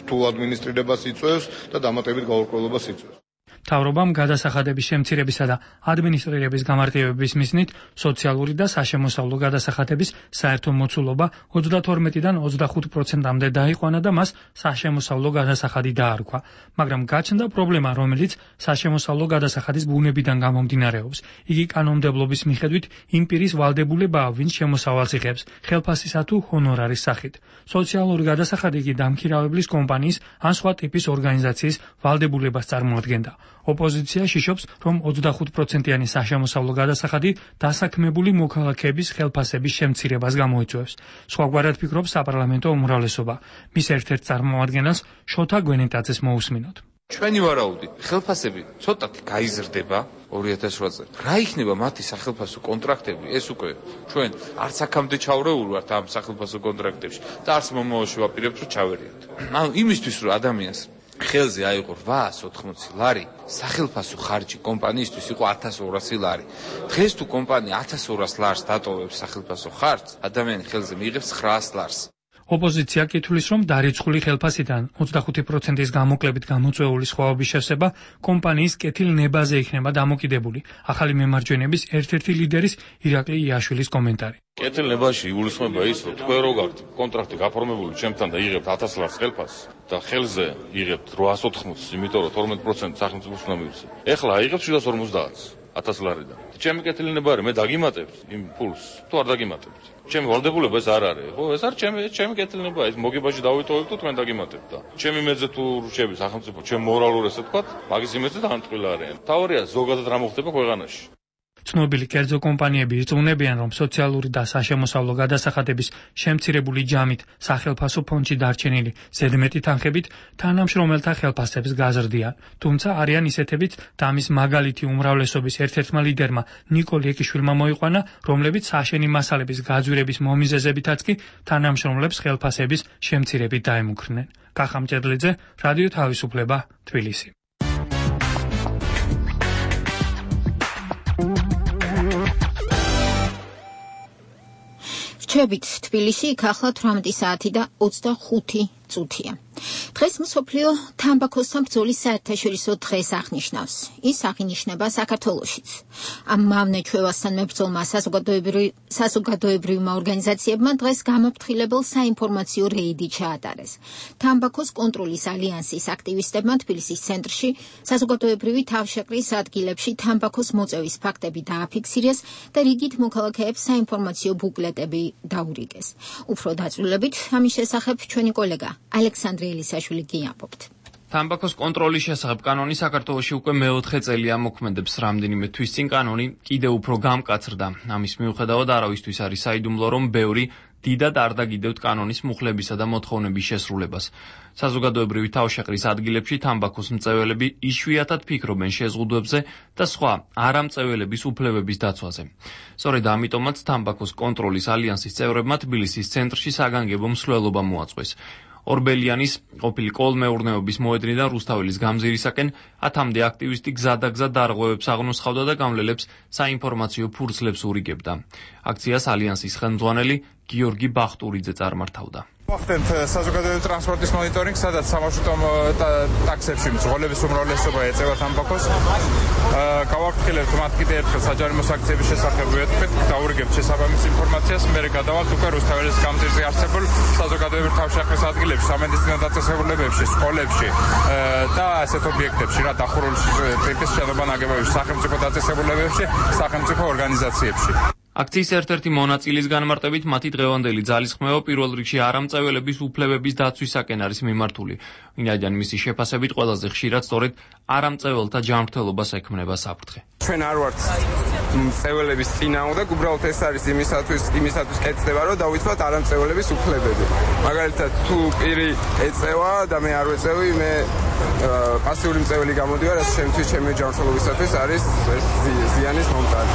რთულ ადმინისტრირებას იწვევს და დამატებით გაურკვევლობას იწვევს. მთავრობამ გადასახადების შემცირებისა და ადმინისტრირების გამარტივების მიზნით სოციალური და საშემოსავლო გადასახადების საერთო მოცულობა ოცდათორმეტიდან ოცდახუთ პროცენტამდე დაიყვანა და მას საშემოსავლო გადასახადი დაარქვა. მაგრამ გაჩნდა პრობლემა, რომელიც საშემოსავლო გადასახადის ბუნებიდან გამომდინარეობს. იგი კანონმდებლობის მიხედვით იმ პირის ვალდებულებაა, ვინც შემოსავალს იღებს, ხელფასისა თუ ჰონორარის სახით. სოციალური გადასახადი კი დამქირავებლის კომპანიის ან სხვა ტიპის ორგანიზაციის ვალდებულებას წარმოადგენდა. ოპოზიცია შიშობს, რომ ოცდახუთ პროცენტიანი საშემოსავლო გადასახადი დასაქმებული მოქალაქეების ხელფასების შემცირებას გამოიწვევს. სხვაგვარად ფიქრობს საპარლამენტო უმრავლესობა. მის ერთ-ერთ წარმომადგენელს შოთა გვენეტაძეს მოусმინოთ. ჩვენი ვარაუდი, ხელფასები ცოტათი გაიზრდება ორი ათას ოთხ წელს. რა იქნება მათი სახელფასო კონტრაქტები? ეს უკვე ჩვენ არც აქამდე ჩავრეული ვართ ამ სახელფასო კონტრაქტებში და არც მომავალში ვაპირებთ რომ ჩავერიოთ. ანუ იმისთვის რომ ადამიანს ხელზე აიღო რვაას ოთხმოცი ლარი, სახელფასო ხარჯი კომპანიისთვის იყო ათას ორასი ლარი. დღეს თუ კომპანია ათას ორას ლარს დატოვებს სახელფასო ხარჯს, ადამიანი ხელზე მიიღებს ცხრაას ლარს. ოპოზიცია კითხვის, რომ დარიცხული ხელფასიდან ოცდახუთი პროცენტის გამოკლებით გამოწვეული სხვაობის შევსება კომპანიის კეთილნებაზე იქნება დამოკიდებული. ახალი მემარჯვენების ერთ-ერთი ლიდერის ირაკლი იაშვილის კომენტარი. კეთილნებაში იგულისხმება ის, რომ თქვენ რო გაქვთ კონტრაქტი გაფორმებული ჩემთან და იღებთ ათას ლარს ხელფასს და ხელზე იღებთ რვაას ოთხმოცს, იმიტომ რომ თორმეტ პროცენტს სახელმწიფოს უნდა მივიცე. ეხლა აიღებთ შვიდას ორმოცდაათს ათას ლარიდან. ჩემი კეთილნება არის, მე დაგიმატებთ იმ ფულს, თუ არ დაგიმატებთ. ჩემი ვალდებულება ეს არ არის, ხო? ეს არის ჩემი ჩემი კეთილნება, ეს მოგებაში დავიტოვებ თუ თქვენ დაგიმატებთ და ჩემი მეძე თუ რჩები სახელმწიფო, ჩემ მორალურ ესე თქვა, მაგის იმედზე დამტყილი არიან. თავარია ზოგადად რა მოხდება ქვეყანაში. ცნობილი კერძო კომპანიები ირწმუნებიან, რომ სოციალური და საშემოსავლო გადასახადების შემცირებული ჯამით სახელფასო ფონდში დარჩენილი ზედმეტი თანხებით თანამშრომელთა ხელფასებს გაზრდიან. თუმცა არიან ისეთებიც და ამის მაგალითი უმრავლესობის ერთ-ერთმა ლიდერმა ნიკოლ ეკიშვილმა მოიყვანა, რომლებიც საშენი მასალების გაძვირების მომიზეზებითაც კი თანამშრომლებს ხელფასების შემცირებით დაემუქრნენ. კახა მჭედლიძე, რადიო თავისუფლება, თბილისი. რჩებით თბილისში იქ ახლა თვრამეტი საათი და ოცდახუთი წუთია. დღეს მსოფლიო თამბაქოსთან ბრძოლის საერთაშორისო დღეს აღნიშნავს. ის აღინიშნება საქართველოშიც. ამ მავნე ჩვევასთან მებრძოლმა საზოგადოებრივმა ორგანიზაციებმა დღეს გამაფრთხილებელ საინფორმაციო რეიდი ჩაატარეს. თამბაქოს კონტროლის ალიანსის აქტივისტებმა თბილისის ცენტრში საზოგადოებრივი თავშეყრის ადგილებში თამბაქოს მოწევის ფაქტები დააფიქსირეს და რიგით მოქალაქეებს საინფორმაციო ბუკლეტები დაურიგეს. უფრო დაწვრილებით ამის შესახებ ჩვენი კოლეგა ალექსანდრე ელისაშვილი გიამბობთ. თამბაქოს კონტროლის შესახებ კანონი საქართველოში უკვე მეოთხე წელია მოქმედებს. რამდენიმე თვის წინ კანონი კიდევ უფრო გამკაცრდა. ამის მიუხედავად არავისთვის არის საიდუმლო, რომ ბევრი დიდად არ დაგიდევთ კანონის მუხლებისა და მოთხოვნების შესრულებას. საზოგადოებრივი თავშეყრის ადგილებში თამბაქოს მწეველები იშვიათად ფიქრობენ შეზღუდვებზე და სხვა არამწეველების უფლებების დაცვაზე. სწორედ ამიტომაც თამბაქოს კონტროლის ალიანსის წევრებმა თბილისის ცენტრში საგანგებო მსვლელობა მოაწყვეს. ორბელიანის ყოფილი კოლმეურნეობის მოედნიდან რუსთაველის გამზირისაკენ ათამდე აქტივისტი გზადაგზა დარღვევებს აღნოსხავდა და გამლელებს საინფორმაციო ფურცლებს ურიგებდა. აქციას ალიანსის ხელმძღვანელი გიორგი ბახტურიძე წარმართავდა. ვახდენთ საზოგადოებრივი ტრანსპორტის მონიტორინგს, სადაც სამარშრუტო ტაქსებში მძღოლების უმრავლესობა ეწევა თამბაქოს. გავაფრთხილებთ მათ კიდევ ერთხელ საჯარიმო საქციების შესახებ ვეთქვით, დაურიგებთ შესაბამის ინფორმაციას, მერე გადავალთ უკვე რუსთაველის გამზირზე არსებულ საზოგადოებრივი თავშეყრის ადგილებში, სამედიცინო დაწესებულებებში, სკოლებში და ასეთ ობიექტებში, რა დახურული ტიპის შენობა ნაგებობებში, სახელმწიფო დაწესებულებებში, სახელმწიფო ორგანიზაციებში. აქციის ერთ-ერთი მონაწილის განმარტებით მათი დღევანდელი ძალისხმევა პირველ რიგში არამწეველების უფლებების დაცვისაკენ არის მიმართული. ვინაიდან მისი შეფასებით ყველაზე ხშირად სწორედ არამწეველთა ჯანმრთელობას ექმნება საფრთხე. ჩვენ არ ვართ მწეველების წინააღმდეგ, უბრალოდ ეს არის იმისათვის, იმისათვის კეთდება, რომ დაუცვათ არამწეველების უფლებები. მაგალითად, თუ პირი ეწევა და მე არ ვეწევი, მე პასიური მწეველი გამოდივარ, ეს შემთხვევით ჩემი ჯანმრთელობისათვის არის ზიანის მომტანი.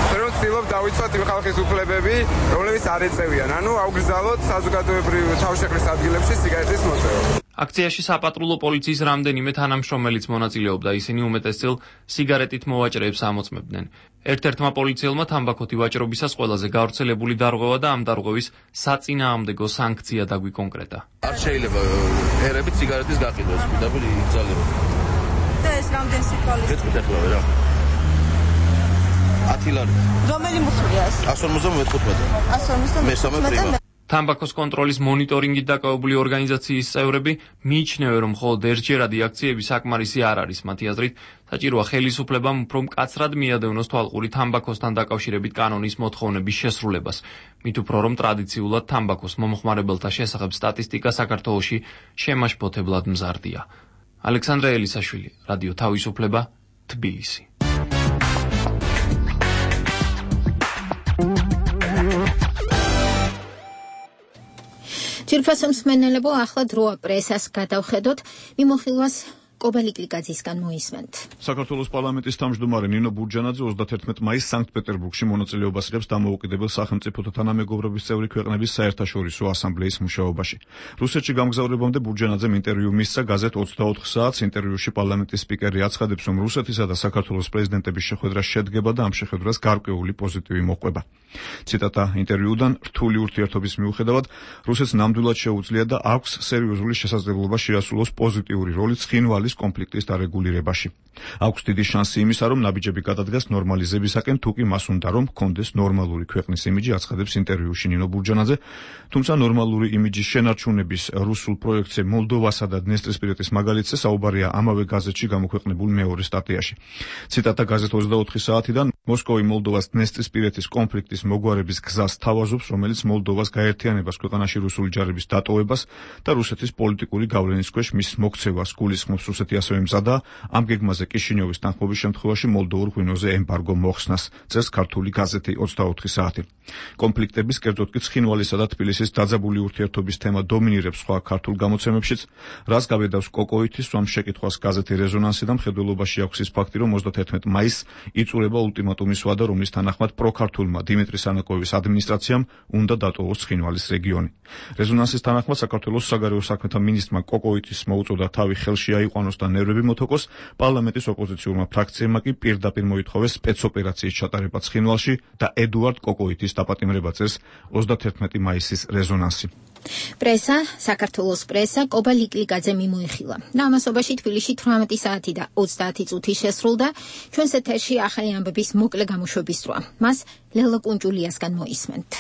ჩვენ ვცდილობთ დავიცვათ იმ ხალხის უფლებები, რომლებიც არ ეწევიან, ანუ აუგრძალოთ საზოგადოებრივ თავშეყრის ადგილებში სიგარეტის მოწევა. აქციაში საპატრულო პოლიციის რამდენიმე თანამშრომელიც მონაწილეობდა, ისინი უმეტესწილ სიგარეტით მოვაჭრეებს ამოწმებდნენ. ერთ-ერთმა პოლიციელმა თამბაქოთი ვაჭრობისას ყველაზე გავრცელებული დარღვევა და ამ დარღვევის საწინააღმდეგო სანქცია დაგვიკონკრეტა. არ შეიძლება ერებით სიგარეტის გაყიდვას, პირდაპირ იგზალებოდა. და ეს რამდენ სიტყვალის? მეთქვით ახლა რა. ათი ლარი. რომელი მუხლია ეს? εκατს ორმოცდამეთოთხმეტი. εκατს ორმოცდამეთოთხმეტი. თამბაქოს კონტროლის მონიტორინგით დაკავებული ორგანიზაციის წევრები მიიჩნევენ, რომ მხოლოდ ერთჯერადი აქციები საკმარისი არ არის. მათი აზრით, საჭიროა ხელისუფლებამ უფრო მკაცრად მიადევნოს თვალყური თამბაქოსთან დაკავშირებით კანონის მოთხოვნების შესრულებას. მით უფრო რომ ტრადიციულად თამბაქოს მომხმარებელთა შესახებ სტატისტიკა საქართველოში შემაშფოთებლად მზარდია. ალექსანდრე ელისაშვილი, რადიო თავისუფლება, თბილისი. ჯირფასო მსმენელებო, ახლა დროა პრესას გადავხედოთ, მიმოხილვას კობელი კლიკაძისგან მოისმენთ. საქართველოს პარლამენტის თავმჯდომარე ნინო ბურჯანაძე ოცდათერთმეტ მაისს სანქტ-პეტერბურგში მონაწილეობას იღებს დამოუკიდებელ სახელმწიფოთა თანამეგობრობის წევრი ქვეყნების საერთაშორისო ასამბლეის მუშაობაში. რუსეთში გამგზავრებამდე ბურჯანაძემ ინტერვიუ მისცა გაზეთ ოცდაოთხ საათს. ინტერვიუში პარლამენტის სპიკერი აცხადებს, რომ რუსეთისა და საქართველოს პრეზიდენტების შეხვედრა შედგება და ამ შეხვედრას გარკვეული პოზიტივი მოჰყვება. ციტატა ინტერვიუდან: რთული ურთიერთობის მიუხედავად, რუსეთს ნამდვილად შეუძლია და აქვს სერიოზული შესაძლებლობა შეასრულოს პოზიტიური როლი ცხინვალის კონფლიქტის დარეგულირებაში. აქვს დიდი შანსი იმისა, რომ ნაბიჯები გადადგას ნორმალიზებისაკენ, თუ კი მას უნდა, რომ ჰქონდეს ნორმალური ქვეყნის იმიჯი, აცხადებს ინტერვიუში ნინო ბურჯანაძე. თუმცა ნორმალური იმიჯის შენარჩუნების რუსულ პროექტზე მოლდოვასა და დნესტრისპირეთის მაგალითზე საუბარია ამავე გაზეთში გამოქვეყნებულ მეორე სტატიაში. ციტატა გაზეთ ოცდაოთხი საათიდან: მოსკოვი მოლდოვას დნესტრისპირეთის კონფლიქტის მოგ გაგვარების გზას თავაზობს, რომელიც მოლდოვას გაერთიანებას, ქვეყანაში რუსული ჯარების დატოვებას და რუსეთის პოლიტიკური გავლენის ქვეშ მის მოქცევას გულისხმობს. რუსეთი ასევე მზადაა ამ გეგმაზე კიშინიოვის თანხმობის შემთხვევაში მოლდოვურ ღვინოზე ემბარგო მოხსნას, წერს ქართული გაზეთი ოცდაოთხი საათი. კონფლიქტების, კერძოდ კი ცხინვალისა და თბილისის დაძაბული ურთიერთობის თემა დომინირებს სხვა ქართულ გამოცემებშიც, რაც გაბედავს კოკოითის სვამ შეკითხვას გაზეთი რეზონანსი და მხედველობაში აქვს ის ფაქტი, რომ ოცდათერთმეტ მაისს იწურება ულტიმატუმის ვადა, რომლის თანახმად პროქართულმა დიმიტრი სანაკოევის ადმინისტრაციამ უნდა დატოვოს ცხინვალის რეგიონი. რეზონანსის თანახმად საქართველოს საგარეო საქმეთა მინისტრმა კოკოითის მოუწოდა თავი ხელში აიყვანოს და ნერვები მოთოკოს, პარლამენტის ოპოზიციურმა ფრაქციებმა კი პირდაპირ მოითხოვეს სპეცოპერაციის ჩატარება ცხინვალში და ედუარდ კოკოითის დაპატიმრება, წერს ოცდათერთმეტი მაისის რეზონანსი. პრესა, საქართველოს პრესა კობა ლიკლიკაძე მიმოიხილა. ნამასობაში თბილისში თვრამეტი საათი და ოცდაათი წუთი შესრულდა. ჩვენს ეთერში ახალი ამბების მოკლე გამოშვების დროა. მას ლელა კუნჭულიასგან მოისმენთ.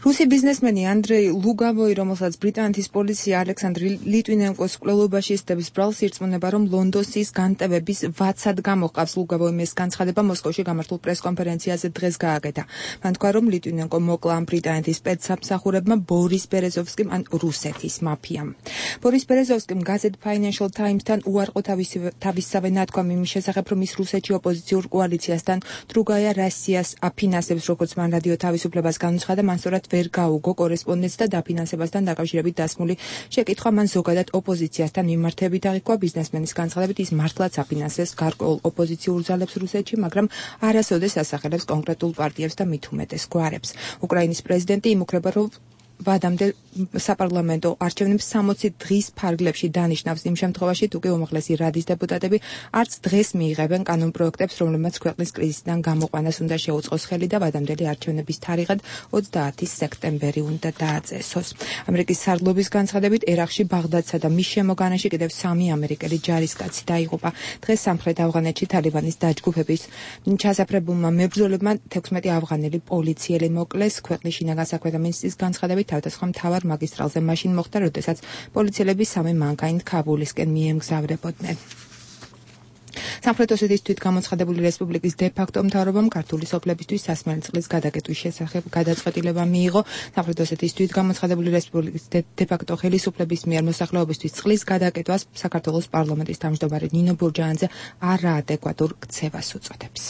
რუსი ბიზნესმენი ანდრეი ლუგავოი, რომელსაც ბრიტანეთის პოლიცია ალექსანდრ ლიტვინენკოს კვლელობაში ისდების ბრალს, ირწმუნება, რომ ლონდონის განტევების ვაცად გამოჰყავს. ლუგავოიმ ეს განცხადება მოსკოვში გამართულ პრესკონფერენციაზე დღეს გააკეთა. მან თქვა, რომ ლიტვინენკო მოკლა ამ ბრიტანეთის სპეცსამსახურებმა ბორის ბერეზოვსკიმ ან რუსეთის მაფიამ. ბორის ბერეზოვსკიმ გაზეთ Financial Times-თან უარყო თავისსავე ნათქვა იმის შესახებ, რომ ის რუსეთში ოპოზიციურ კოალიციასთან დრუგაია რასიას აფინანსებს, როგორც მან რადიო თავისუფლებას განუცხადა, მან სწორად ვერ გაუგო კორესპონდენტს და დაფინანსებასთან დაკავშირებით დასმული შეკითხვა. მან ზოგადად ოპოზიციასთან მიმართებით აღიქვა. ბიზნესმენის განცხადებით, ის მართლაც აფინანსებს გარკვეულ ოპოზიციურ ძალებს რუსეთში, მაგრამ არასოდეს ასახელებს კონკრეტულ პარტიებს და მით უმეტეს გვარებს. უკრაინის პრეზიდენტი იმუქრება, რომ ვადამდე საპარლამენტო არჩევნებს სამოცი დღის ფარგლებში დანიშნავს, იმ შემთხვევაში თუ კი უმაღლესი რადის დეპუტატები არც დღეს მიიღებენ კანონპროექტებს, რომლებმაც ქვეყნის კრიზისიდან გამოყვანას უნდა შეუწყოს ხელი და ვადამდელი არჩევნების თარიღად ოცდაათი სექტემბერი უნდა დააწესოს. ამერიკის სარდლობის განცხადებით, ერაყში ბაღდადსა და მის შემოგანაში კიდევ სამი ამერიკელი ჯარისკაცი დაიღუპა. დღეს სამხრეთ ავღანეთში თალიბანის დაჯგუფების ჩასაფრებულმა მებრძოლებმა თექვსმეტი ავღანელი პოლიციელი მოკლეს. ქვეყნის შინაგან საქმეთა მინისტრის განცხადებით, თავდასხმა მთავარ მაგისტრალზე მაშინ მოხდა, როდესაც პოლიციელები სამი მანქანით ქაბულისკენ მიემგზავრებოდნენ. სამხრეთ ოსეთის თვითგამოცხადებული რესპუბლიკის დე-ფაქტო მთავრობამ ქართული სოფლებისთვის სასმელი წყლის გადაკეტვის შესახებ გადაწყვეტილება მიიღო. სამხრეთ ოსეთის თვითგამოცხადებული რესპუბლიკის დე-ფაქტო ხელისუფლების მიერ მოსახლეობისთვის წყლის გადაკეტვას საქართველოს პარლამენტის თავმჯდომარე ნინო ბურჯაანძე არაადეკვატურ ქცევას უწოდებს.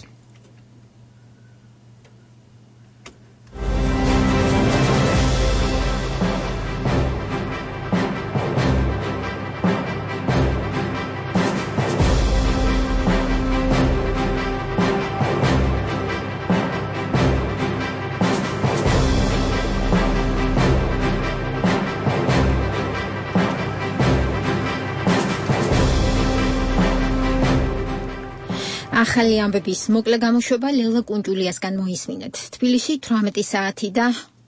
ახალი ამბების მოკლე გამოშვება ლელა კუნჭულიასგან მოისმინეთ. თბილისში თვრამეტი საათი და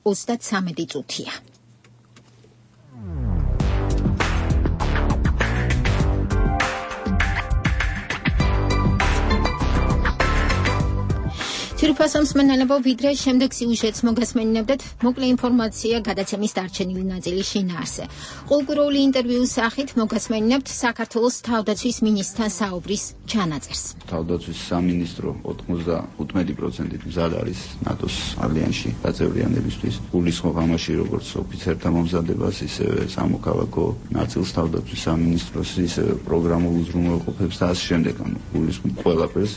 ოცდათვრამეტი წუთია. თირფასო მსმენელებო, ვიდრე შემდეგ სიუჟეტს მოგესმენინებდეთ, მოკლე ინფორმაცია გადაცემის დარჩენილი ნაწილის შინაარსზე. ყოველკვირეული ინტერვიუს სახით მოგესმენინებთ საქართველოს თავდაცვის მინისტრთან საუბრის ჩანაწერს. თავდაცვის სამინისტრო ოთხმოცდაოთხ პროცენტით მზად არის ნატოს ალიანსში გაწევრიანებისთვის. გულისხმობ ამაში როგორც ოფიცერთა მომზადებას, ისევე სამოქალაქო ნაწილს თავდაცვის სამინისტროს, ისევე პროგრამულ უზრუნველყოფებს და ასე შემდეგ. გულისხმობ ყველაფერს.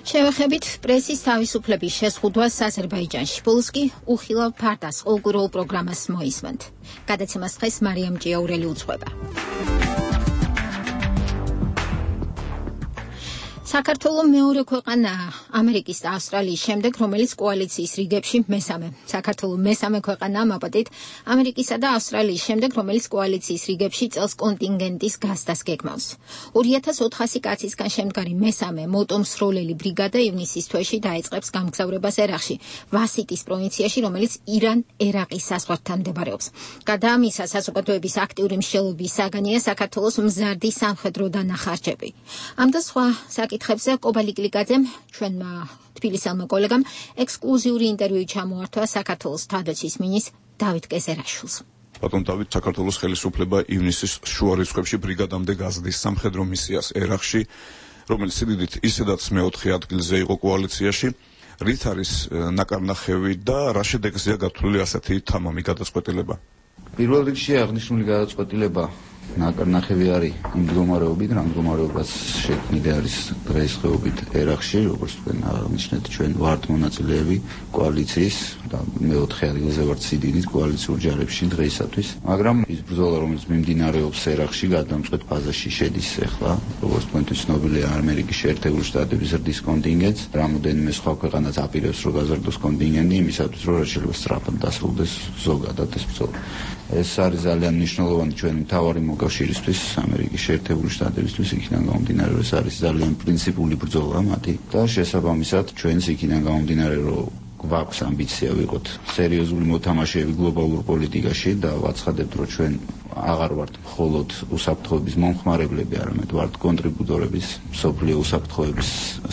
შევეხებით პრესის თავისუფლების შეზღუდვას აზერბაიჯანში. ბოლოს კი უხილავ ფარდას ყოველკვირეულ პროგრამას მოისმენთ. გადაცემას დღეს მარიამ ჭიაურელი უძღვება. საქართველო მეორე ქვეყანაა ამერიკის და ავსტრალიის შემდეგ, რომელიც კოალიციის რიგებში მესამე. საქართველო მესამე ქვეყანაა მაპატით ამერიკისა და ავსტრალიის შემდეგ, რომელიც კოალიციის რიგებში წელს კონტინგენტის გასდას გეგმავს. ორი ათას ოთხასი კაცისგან შემდგარი მესამე მოტომსროლელი ბრიგადა ივნისის თვეში დაიწყებს გამგზავრებას ერაყში, ვასიტის პროვინციაში, რომელიც ირან-ერაყის საზღვართან მდებარეობს. გარდა ამისა, საზოგადოების აქტიური მსჯელობის საგანია საქართველოს მზარდი სამხედრო დანახარჯები. ამ და სხვა საკითხ საკითხებზე კობალი კლიკაძემ, ჩვენმა თბილისელმა კოლეგამ, ექსკლუზიური ინტერვიუ ჩამოართვა საქართველოს თავდაცვის მინისტრ დავით კეზერაშვილს. ბატონ დავით, საქართველოს ხელისუფლება ივნისის შუა რიცხვებში ბრიგადამდე გაზრდის სამხედრო მისიას ერაყში, რომელიც სიდიდით ისედაც მეოთხე ადგილზე იყო კოალიციაში. რით არის ნაკარნახევი და რა შედეგზეა გათვლილი ასეთი თამამი გადაწყვეტილება? პირველ რიგში აღნიშნული გადაწყვეტილება ნაკარნახევი არის იმ მდგომარეობით, რა მდგომარეობას შექმნილი არის დღესდღეობით ერაყში, როგორც თქვენ აღნიშნეთ, ჩვენ ვართ მონაწილეები კოალიციის და მეოთხე ადგილზე ვართ სიდიდით კოალიციურ ჯარებში დღეისათვის, მაგრამ ის ბრძოლა, რომელიც მიმდინარეობს ერაყში, გადამწყვეტ ფაზაში შედის ახლა, როგორც თქვენთვის ცნობილია, ამერიკის შეერთებული შტატების ზრდის კონტინგენტს, რამოდენიმე სხვა ქვეყანაც აპირებს, რომ გაზარდოს კონტინგენტი იმისათვის, რომ შეიძლება სწრაფად დასრულდეს ზოგადად ეს ბრძოლა. ეს არის ძალიან მნიშვნელოვანი ჩვენი მთავარი მოკავშირისთვის, ამერიკის შეერთებული შტატებისთვის, იქიდან გამომდინარე, რომ ეს არის ძალიან პრინციპული ბრძოლა მათი და შესაბამისად ჩვენს იქიდან გამომდინარე, რომ გვაქვს ამბიცია ვიყოთ სერიოზული მოთამაშეები გლობალურ პოლიტიკაში და ვაცხადებთ, რომ ჩვენ აღარ ვართ მხოლოდ უსაფრთხოების მომხმარებლები, არამედ ვართ კონტრიბუტორების მსოფლიო უსაფრთხოების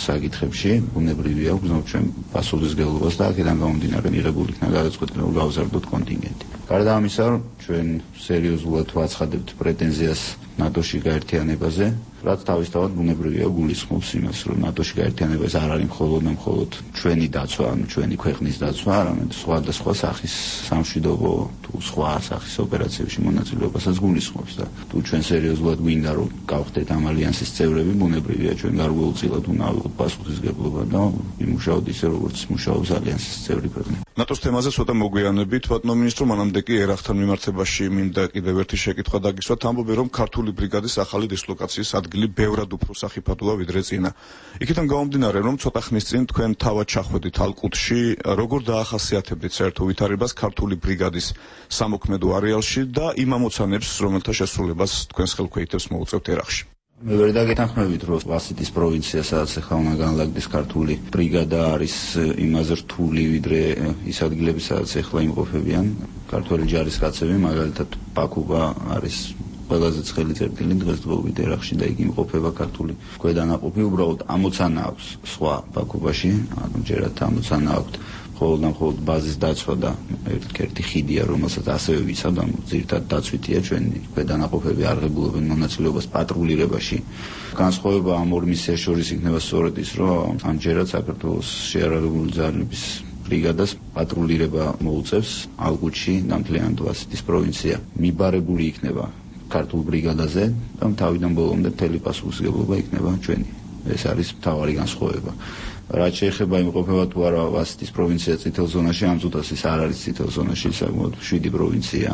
საკითხებში. ბუნებრივია, ვგზნობთ ჩვენ პასუხისმგებლობას და აქედან გამომდინარე მიღებული იქნა გადაწყვეტილება, რომ გავზარდოთ კონტინგენტი. გარდა ამისა, ჩვენ სერიოზულად ვაცხადებთ პრეტენზიას ნატოში გაერთიანებაზე, რაც თავისთავად ბუნებრივია გულისხმობს იმას, რომ ნატოში გაერთიანება ეს არ არის მხოლოდ და მხოლოდ ჩვენი დაცვა, ანუ ჩვენი ქვეყნის დაცვა, არამედ სხვადასხვა სახის სამშვიდობო თუ სხვა სახის ოპერაციებში მონაწილეობასაც გულისხმობს და თუ ჩვენ სერიოზულად გვინდა რომ გავხდეთ ამ ალიანსის წევრები, ბუნებრივია ჩვენ გარკვეულწილად უნდა ავიღოთ პასუხისმგებლობა და იმუშაოთ ისე, როგორც მუშაობს ალიანსის წევრი ქვეყნები. ნატოს თემაზე ცოტა მოგვიანებით, ბატონო მინისტრო, მანამდე კი ერაყთან მიმართებაში მინდა კიდევ ერთი შეკითხვა დაგისვათ, ამბობენ, რომ ქართული ბრიგადის ახალი დისლოკაციის ადგილი ბევრად უფრო სახიფათოა ვიდრე წინა. იქიდან გამომდინარე, რომ ცოტა ხნის წინ თქვენ თავად ჩახვედით ალყუთში, როგორ დაახასიათებდით საერთო ვითარებას ქართული ბრიგადის სამოქმედო არეალში და იმ ამოცანებს, რომელთა შესრულებას თქვენს ხელქვეითებს მოუწევთ ერაყში? მე ვერ დაგეთანხმებით, რომ ვასიტის პროვინცია, სადაც ახლა უნდა განლაგდეს ქართული ბრიგადა, არის იმაზე რთული, ვიდრე ის ადგილები, სადაც ახლა იმყოფებიან ქართველი ჯარისკაცები, მაგალითად ბაქუბა არის ყველაზე ცხელი წერტილი დღესდღეობით ერაყში და იქ იმყოფება ქართული ქვედანაყოფი, უბრალოდ ამოცანა აქვს სხვა ბაქუბაში, ანუ ჯერათ ამოცანა აქვს მხოლოდ და მხოლოდ ბაზის დაცვა და ერთ-ერთი ხიდია, რომელსაც ასევე ვიცავ და ძირითადად დაცვითია ჩვენი ქვედანაყოფები აღებულობენ მონაწილეობას პატრულირებაში. განსხვავება ამ ორ მისიას შორის იქნება სწორედ ის, რომ ამჯერად საქართველოს შეიარაღებული ძალების ბრიგადას პატრულირება მოუწევს ალყუთში და მთლიანად ვასიტის პროვინცია მიბარებული იქნება ქართულ ბრიგადაზე და თავიდან ბოლომდე მთელი პასუხისმგებლობა იქნება ჩვენი. ეს არის მთავარი განსხვავება. რაც შეეხება იმყოფება თუ არა ვასიტის პროვინცია წითელ ზონაში, ამ წუთას ის არ არის წითელ ზონაში, საკმაოდ შვიდი პროვინცია,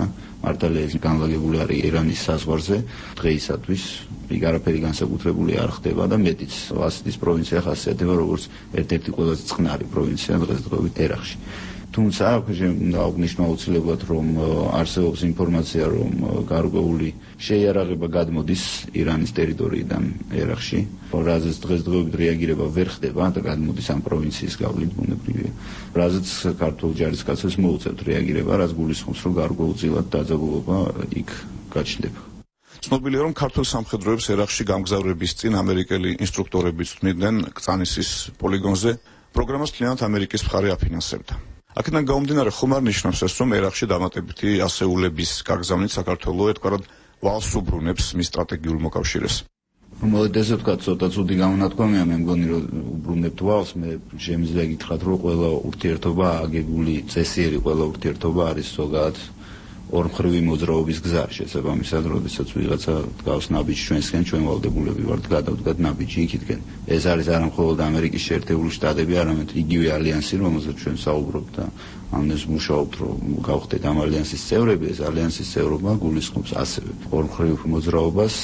მართალია ის განლაგებული არის ირანის საზღვარზე, დღეისათვის იქ არაფერი განსაკუთრებული არ ხდება და მეტიც ვასიტის პროვინცია ხასიათდება როგორც ერთ-ერთი ყველაზე წყნარი პროვინცია დღესდღეობით ერაყში. თუმცა უნდა აღნიშნო აუცილებლად, რომ არსებობს ინფორმაცია, რომ გარკვეული შეიარაღება გადმოდის ირანის ტერიტორიიდან ერაყში, რაზეც დღესდღეობით რეაგირება ვერ ხდება და გადმოდის ამ პროვინციის გავლით ბუნებრივია. რაზეც ქართულ ჯარისკაცებს მოუწევთ რეაგირება, რაც გულისხმობს, რომ გარკვეულწილად დაძაბულობა იქ გაჩნდება. ცნობილია, რომ ქართულ სამხედროებს ერაყში გამგზავრების წინ ამერიკელი ინსტრუქტორები წვდნიდნენ კწანისის პოლიგონზე, პროგრამას მთლიანად ამერიკის მხარე აფინანსებდა. აქედან გამომდინარე, ხომ არ ნიშნავს ეს, რომ ერაყში დამატებითი ასეულების გაგზავნით საქართველოს ეთქვარად ვალს უბრუნებს მის სტრატეგიულ მოკავშირეს? მოდით ესე ვთქვათ, ცოტა ცუდი გამონათქვამია, მე მგონი, რომ უბრუნებთ ვალს, მე შემიძლია გითხრათ, რომ ყველა ურთიერთობა აგებული, წესიერი ყველა ურთიერთობა არის ზოგადად ორმხრივი მოძრაობის გზა, შესაბამისად, როდესაც ვიღაცა დგავს ნაბიჯს ჩვენსკენ, ჩვენ ვალდებულები ვართ გადავდგათ ნაბიჯი იქითკენ. ეს არის არა მხოლოდ ამერიკის შეერთებული შტატები, არამედ იგივე ალიანსი, რომელზეც ჩვენ საუბრობთ და ამას მუშაობთ, რომ გავხდეთ ამ ალიანსის წევრები, ეს ალიანსის წევრობა გულისხმობს ასევე ორმხრივ მოძრაობას,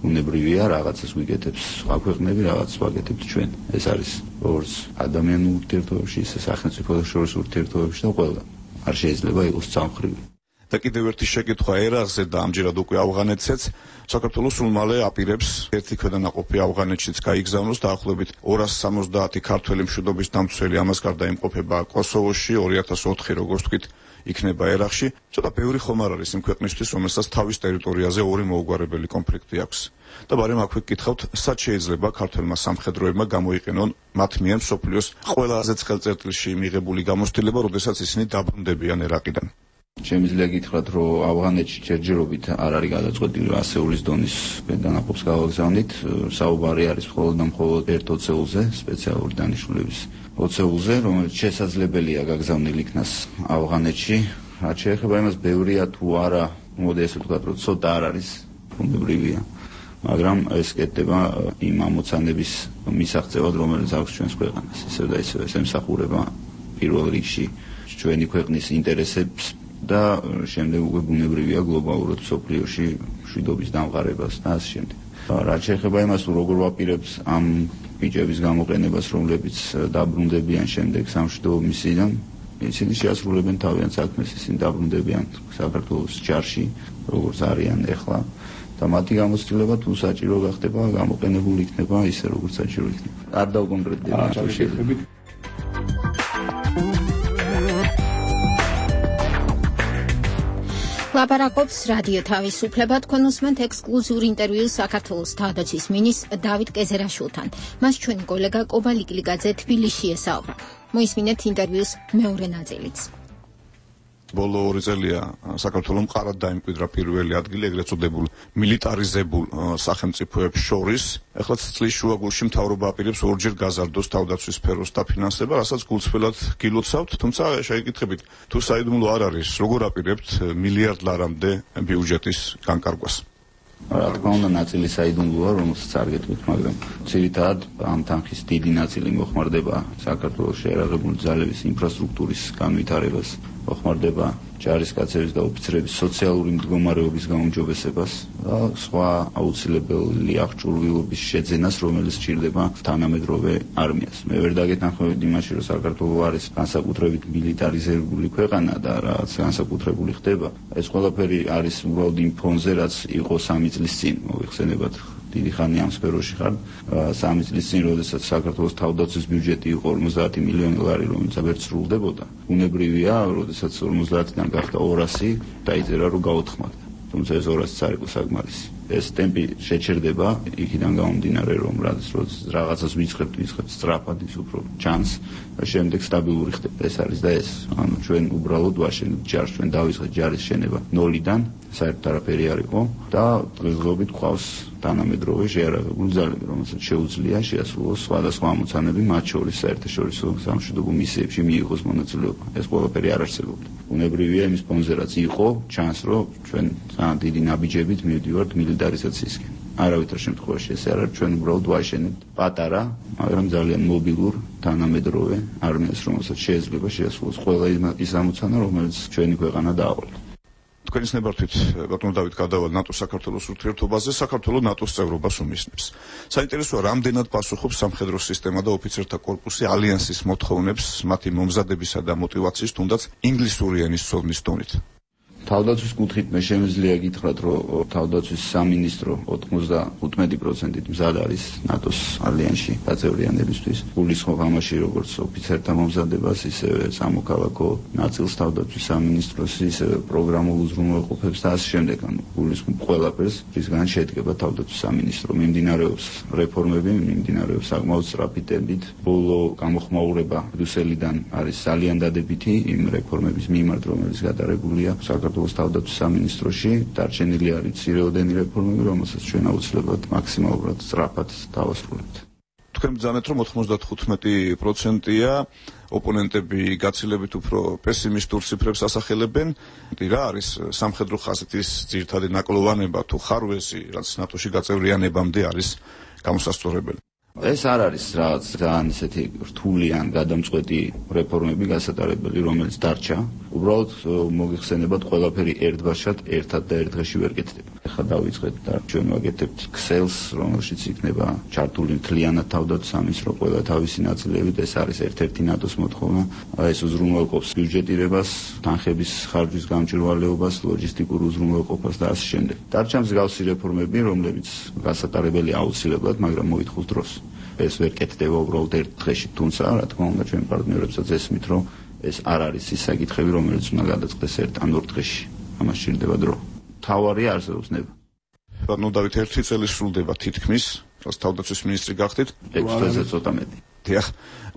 ბუნებრივია, რაღაცას ვიკეთებს სხვა ქვეყნები, რაღაცას ვაკეთებთ ჩვენ. ეს არის როგორც ადამიანურ ურთიერთობებში, ისე სახელმწიფოთა შორის ურთიერთობებში და ყველა. არ შეიძლება იყოს სამხრივი. და კიდევ ერთი შეკითხვა ერაყზე და ამჯერად უკვე ავღანეთზეც. საქართველოს სულ მალე აპირებს ერთი ქვედანაყოფი ავღანეთშიც გაიგზავნოს დაახლოებით ორას სამოცდაათი ქართველი მშვიდობის დამცველი, ამას გარდა იმყოფება კოსოვოში, ორი ათას ოთხი როგორც თქვით იქნება ერაყში, ცოტა ბევრი ხომ არ არის იმ ქვეყნისთვის, რომელსაც თავის ტერიტორიაზე ორი მოუგვარებელი კონფლიქტი აქვს. და ბარემ აქვე გკითხავთ, სად შეიძლება ქართველმა სამხედროებმა გამოიყენონ მათ მიერ მსოფლიოს ყველაზე ცხელწერტილში მიღებული გამოცდილება, როდესაც ისინი დაბრუნდებიან ერაყიდან. შემიძლია გითხრათ, რომ ავღანეთში ჯერჯერობით არ არის გადაწყვეტილი ასეულის დონის დანაყოფს გავაგზავნით. საუბარი არის მხოლოდ და მხოლოდ ერთ ოცეულზე, სპეციალური დანიშნულების ოცეულზე, რომელიც შესაძლებელია გაგზავნილ იქნას ავღანეთში. რაც შეეხება იმას, ბევრია თუ არა, მოდი ესე ვთქვათ, რომ ცოტა არ არის, ბუნებრივია. მაგრამ ეს კეთდება იმ ამოცანების მისაღწევად, რომელიც აქვს ჩვენს ქვეყანას. ისევ და ისევ ეს ემსახურება პირველ რიგში ჩვენი ქვეყნის ინტერესებს და შემდეგ უკვე ბუნებრივია გლობალურად მსოფლიოში მშვიდობის დამყარებას და ასე შემდეგ. რაც შეეხება იმას, თუ როგორ ვაპირებთ ამ ბიჭების გამოყენებას, რომლებიც დაბრუნდებიან შემდეგ სამშვიდობო მისიიდან, ისინი შეასრულებენ თავიანთ საქმეს, ისინი დაბრუნდებიან საქართველოს ჯარში, როგორც არიან ახლა. და მათი გამოცდილება თუ საჭირო გახდება, გამოყენებული იქნება ისე როგორც საჭირო იქნება. არ დავკონკრეტდება ამ შეხედვით. ლაპარაკობს რადიო თავისუფლება, თქვენ უსმენთ ექსკლუზიურ ინტერვიუს საქართველოს თავდაცვის მინისტრ დავით კეზერაშვილთან. მას ჩვენი კოლეგა კობა ლიკლიკაძე თბილისში ესაუბრა. მოისმინეთ ინტერვიუს მეორე ნაწილიც. ბოლო ორი წელია საქართველოს მყარად დაიმკვიდრა პირველი ადგილი ეგრეთ წოდებულ მილიტარიზებულ სახელმწიფოებს შორის. ეხლა წლის შუაგულში მთავრობა აპირებს ორჯერ გაზარდოს თავდაცვის სფეროს დაფინანსება, რასაც გულწრფელად გილოცავთ, თუმცა შეგეკითხებით, თუ საიდუმლო არ არის, როგორ აპირებთ მილიარდ ლარამდე ბიუჯეტის განკარგვას? რა თქმა უნდა, ნაწილი საიდუმლოა, რომელსაც არ გეტყვით, მაგრამ ძირითადად ამ თანხის დიდი ნაწილი მოხმარდება საქართველოს შეერაღებული ძალების ინფრასტრუქტურის განვითარებას, მოხმარდება ჯარისკაცების და ოფიცრების სოციალური მდგომარეობის გაუმჯობესებას და სხვა აუცილებელი აღჭურვილობის შეძენას, რომელიც სჭირდება თანამედროვე არმიას. მე ვერ დაგეთანხმებით იმაში, რომ საქართველო არის განსაკუთრებით მილიტარიზებული ქვეყანა და რაც განსაკუთრებული ხდება. ეს ყველაფერი არის უბრალოდ იმ ფონზე, რაც იყო სამი წლის წინ, მოიხსენებათ. დიდი ხანი ამ სფეროში ხარ. სამი წლის წინ, როდესაც საქართველოს თავდაცვის ბიუჯეტი იყო ორმოცდაათი მილიონი ლარი, რომელიც ვერ სრულდებოდა. ბუნებრივია, როდესაც ორმოცდაათიდან გახდა ორასი, დაიწერა რომ გაოთხმათ. თუმცა ეს ორასიც არ იყო საკმარისი. ეს ტემპი შეჩერდება იქიდან გამომდინარე, რომ როდესაც რაღაცას ვიწყებთ, ვიწყებთ სწრაფად, ის უფრო ჩანს და შემდეგ სტაბილური ხდება. ეს არის და ეს, ანუ ჩვენ უბრალოდ ვაშენებთ ჯარს, ჩვენ დავიწყეთ ჯარის შენება ნოლიდან, საერთოდ არაფერი არ იყო და დღესდღეობით გვყავს თანამედროვე შეიარაღებული ძალები, რომელსაც შეუძლია შეასრულოს სხვადასხვა ამოცანები, მათ შორის საერთაშორისო სამშვიდობო მისიებში მიიღოს მონაწილეობა. ეს ყველაფერი არ არსებობდა. ბუნებრივია იმის ფონზე, რაც იყო, ჩანს, რომ ჩვენ ძალიან დიდი ნაბიჯებით მივდივართ მილიტარიზაციისკენ. არავითარ შემთხვევაში ეს არ არის, ჩვენ უბრალოდ ვაშენებთ პატარა, მაგრამ ძალიან მობილურ თანამედროვე არმიას, რომელსაც შეიძლება შეასრულოს ყველა ის ამოცანა, რომელიც ჩვენი ქვეყანა დაავალდა. თქვენის ნებართვით ბატონო დავით გადავალ ნატოს საქართველოს ურთიერთობაზე, საქართველოს ნატოს წევრობას უმისნებს. საინტერესოა, რამდენად პასუხობს სამხედრო სისტემა და ოფიცერთა კორპუსი ალიანსის მოთხოვნებს მათი მომზადებისა და мотиваციის, თუნდაც ინგლისური ენის ცოდნის დონით. თავდაცვის კუთხით მე შემიძლია გითხრათ, რომ თავდაცვის სამინისტრო ოთხმოცდაოთხ პროცენტით მზად არის ნატოს ალიანსში გაწევრიანებისთვის. გულისხმობ ამაში როგორც ოფიცერთა მომზადებას, ისევე სამოქალაქო ნაწილს თავდაცვის სამინისტროს, ისევე პროგრამულ უზრუნველყოფებს და ასე შემდეგ. ანუ გულისხმობ ყველაფერს, რისგან შედგება თავდაცვის სამინისტრო. მიმდინარეობს რეფორმები, მიმდინარეობს საკმაოდ სწრაფი ტემპით. ბოლო გამოხმაურება ბრიუსელიდან არის ძალიან დადებითი იმ რეფორმების მიმართ, რომელიც გადაღებულია საქართველოს თავდაცვის სამინისტროში. დარჩენილი არის მცირეოდენი რეფორმები, რომელსაც ჩვენ აუცილებლად მაქსიმალურად სწრაფად დავასრულებთ. თქვენ ბრძანეთ, რომ ოთხმოცდათხუთმეტი პროცენტია ოპონენტები გაცილებით უფრო პესიმისტურ ციფრებს ასახელებენ. რა არის სამხედრო ხაზეთის ძირითადი ნაკლოვანება თუ ხარვეზი, რაც ნატოში გაწევრიანებამდე არის გამოსასწორებელი? ეს არ არის რაღაც ძალიან ისეთი რთული ან გადამწყვეტი რეფორმები გასატარებელი, რომელიც დარჩა. უბრალოდ მოგიხსენებათ, ყველაფერი ერთბაშად ერთად და ერთ დღეში ვერ კეთდება. ეხლა დავიწყეთ და ჩვენ ვაკეთებთ ქსელს, რომელშიც იქნება ჩართული მთლიანად თავდაცვის სამინისტრო ყველა თავისი ნაწილებით. ეს არის ერთ-ერთი ნატოს მოთხოვნა. ეს უზრუნველყოფს ბიუჯეტირებას, თანხების ხარჯვის გამჭვირვალეობას, ლოჯისტიკურ უზრუნველყოფას და ასე შემდეგ. დარჩა მსგავსი რეფორმები, რომლებიც გასატარებელი აუცილებლად, მაგრამ მოითხოვს დროს. ეს ვერ კეთდება უბრალოდ ერთ დღეში, თუმცა რა თქმა უნდა ჩვენ პარტნიორებსაც ესმით, რომ ეს არ არის ის საკითხები, რომელიც უნდა გადაწყდეს ერთ ან ორ დღეში. ამას სჭირდება დრო. თავარი არსებობს ნება. ბატონო დავით, ერთი წელი სრულდება თითქმის, რაც თავდაცვის მინისტრი გახდით. ექვსი წელზე ცოტა მეტი. დიახ.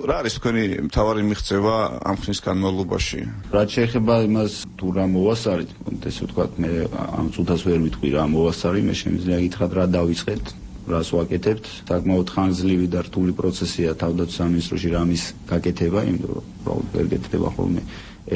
რა არის თქვენი მთავარი მიღწევა ამ ხნის განმავლობაში? რაც შეეხება იმას, თუ რა მოვასწარით, ესე ვთქვათ, მე ამ წუთას ვერ ვიტყვი რა მოვასწარი, მე შემიძლია გითხრათ რა დავიწყეთ, რას ვაკეთებთ. საკმაოდ ხანგრძლივი და რთული პროცესია თავდაცვის სამინისტროში რამის გაკეთება, იმიტომ რომ უბრალოდ ვერ გეთდება ხოლმე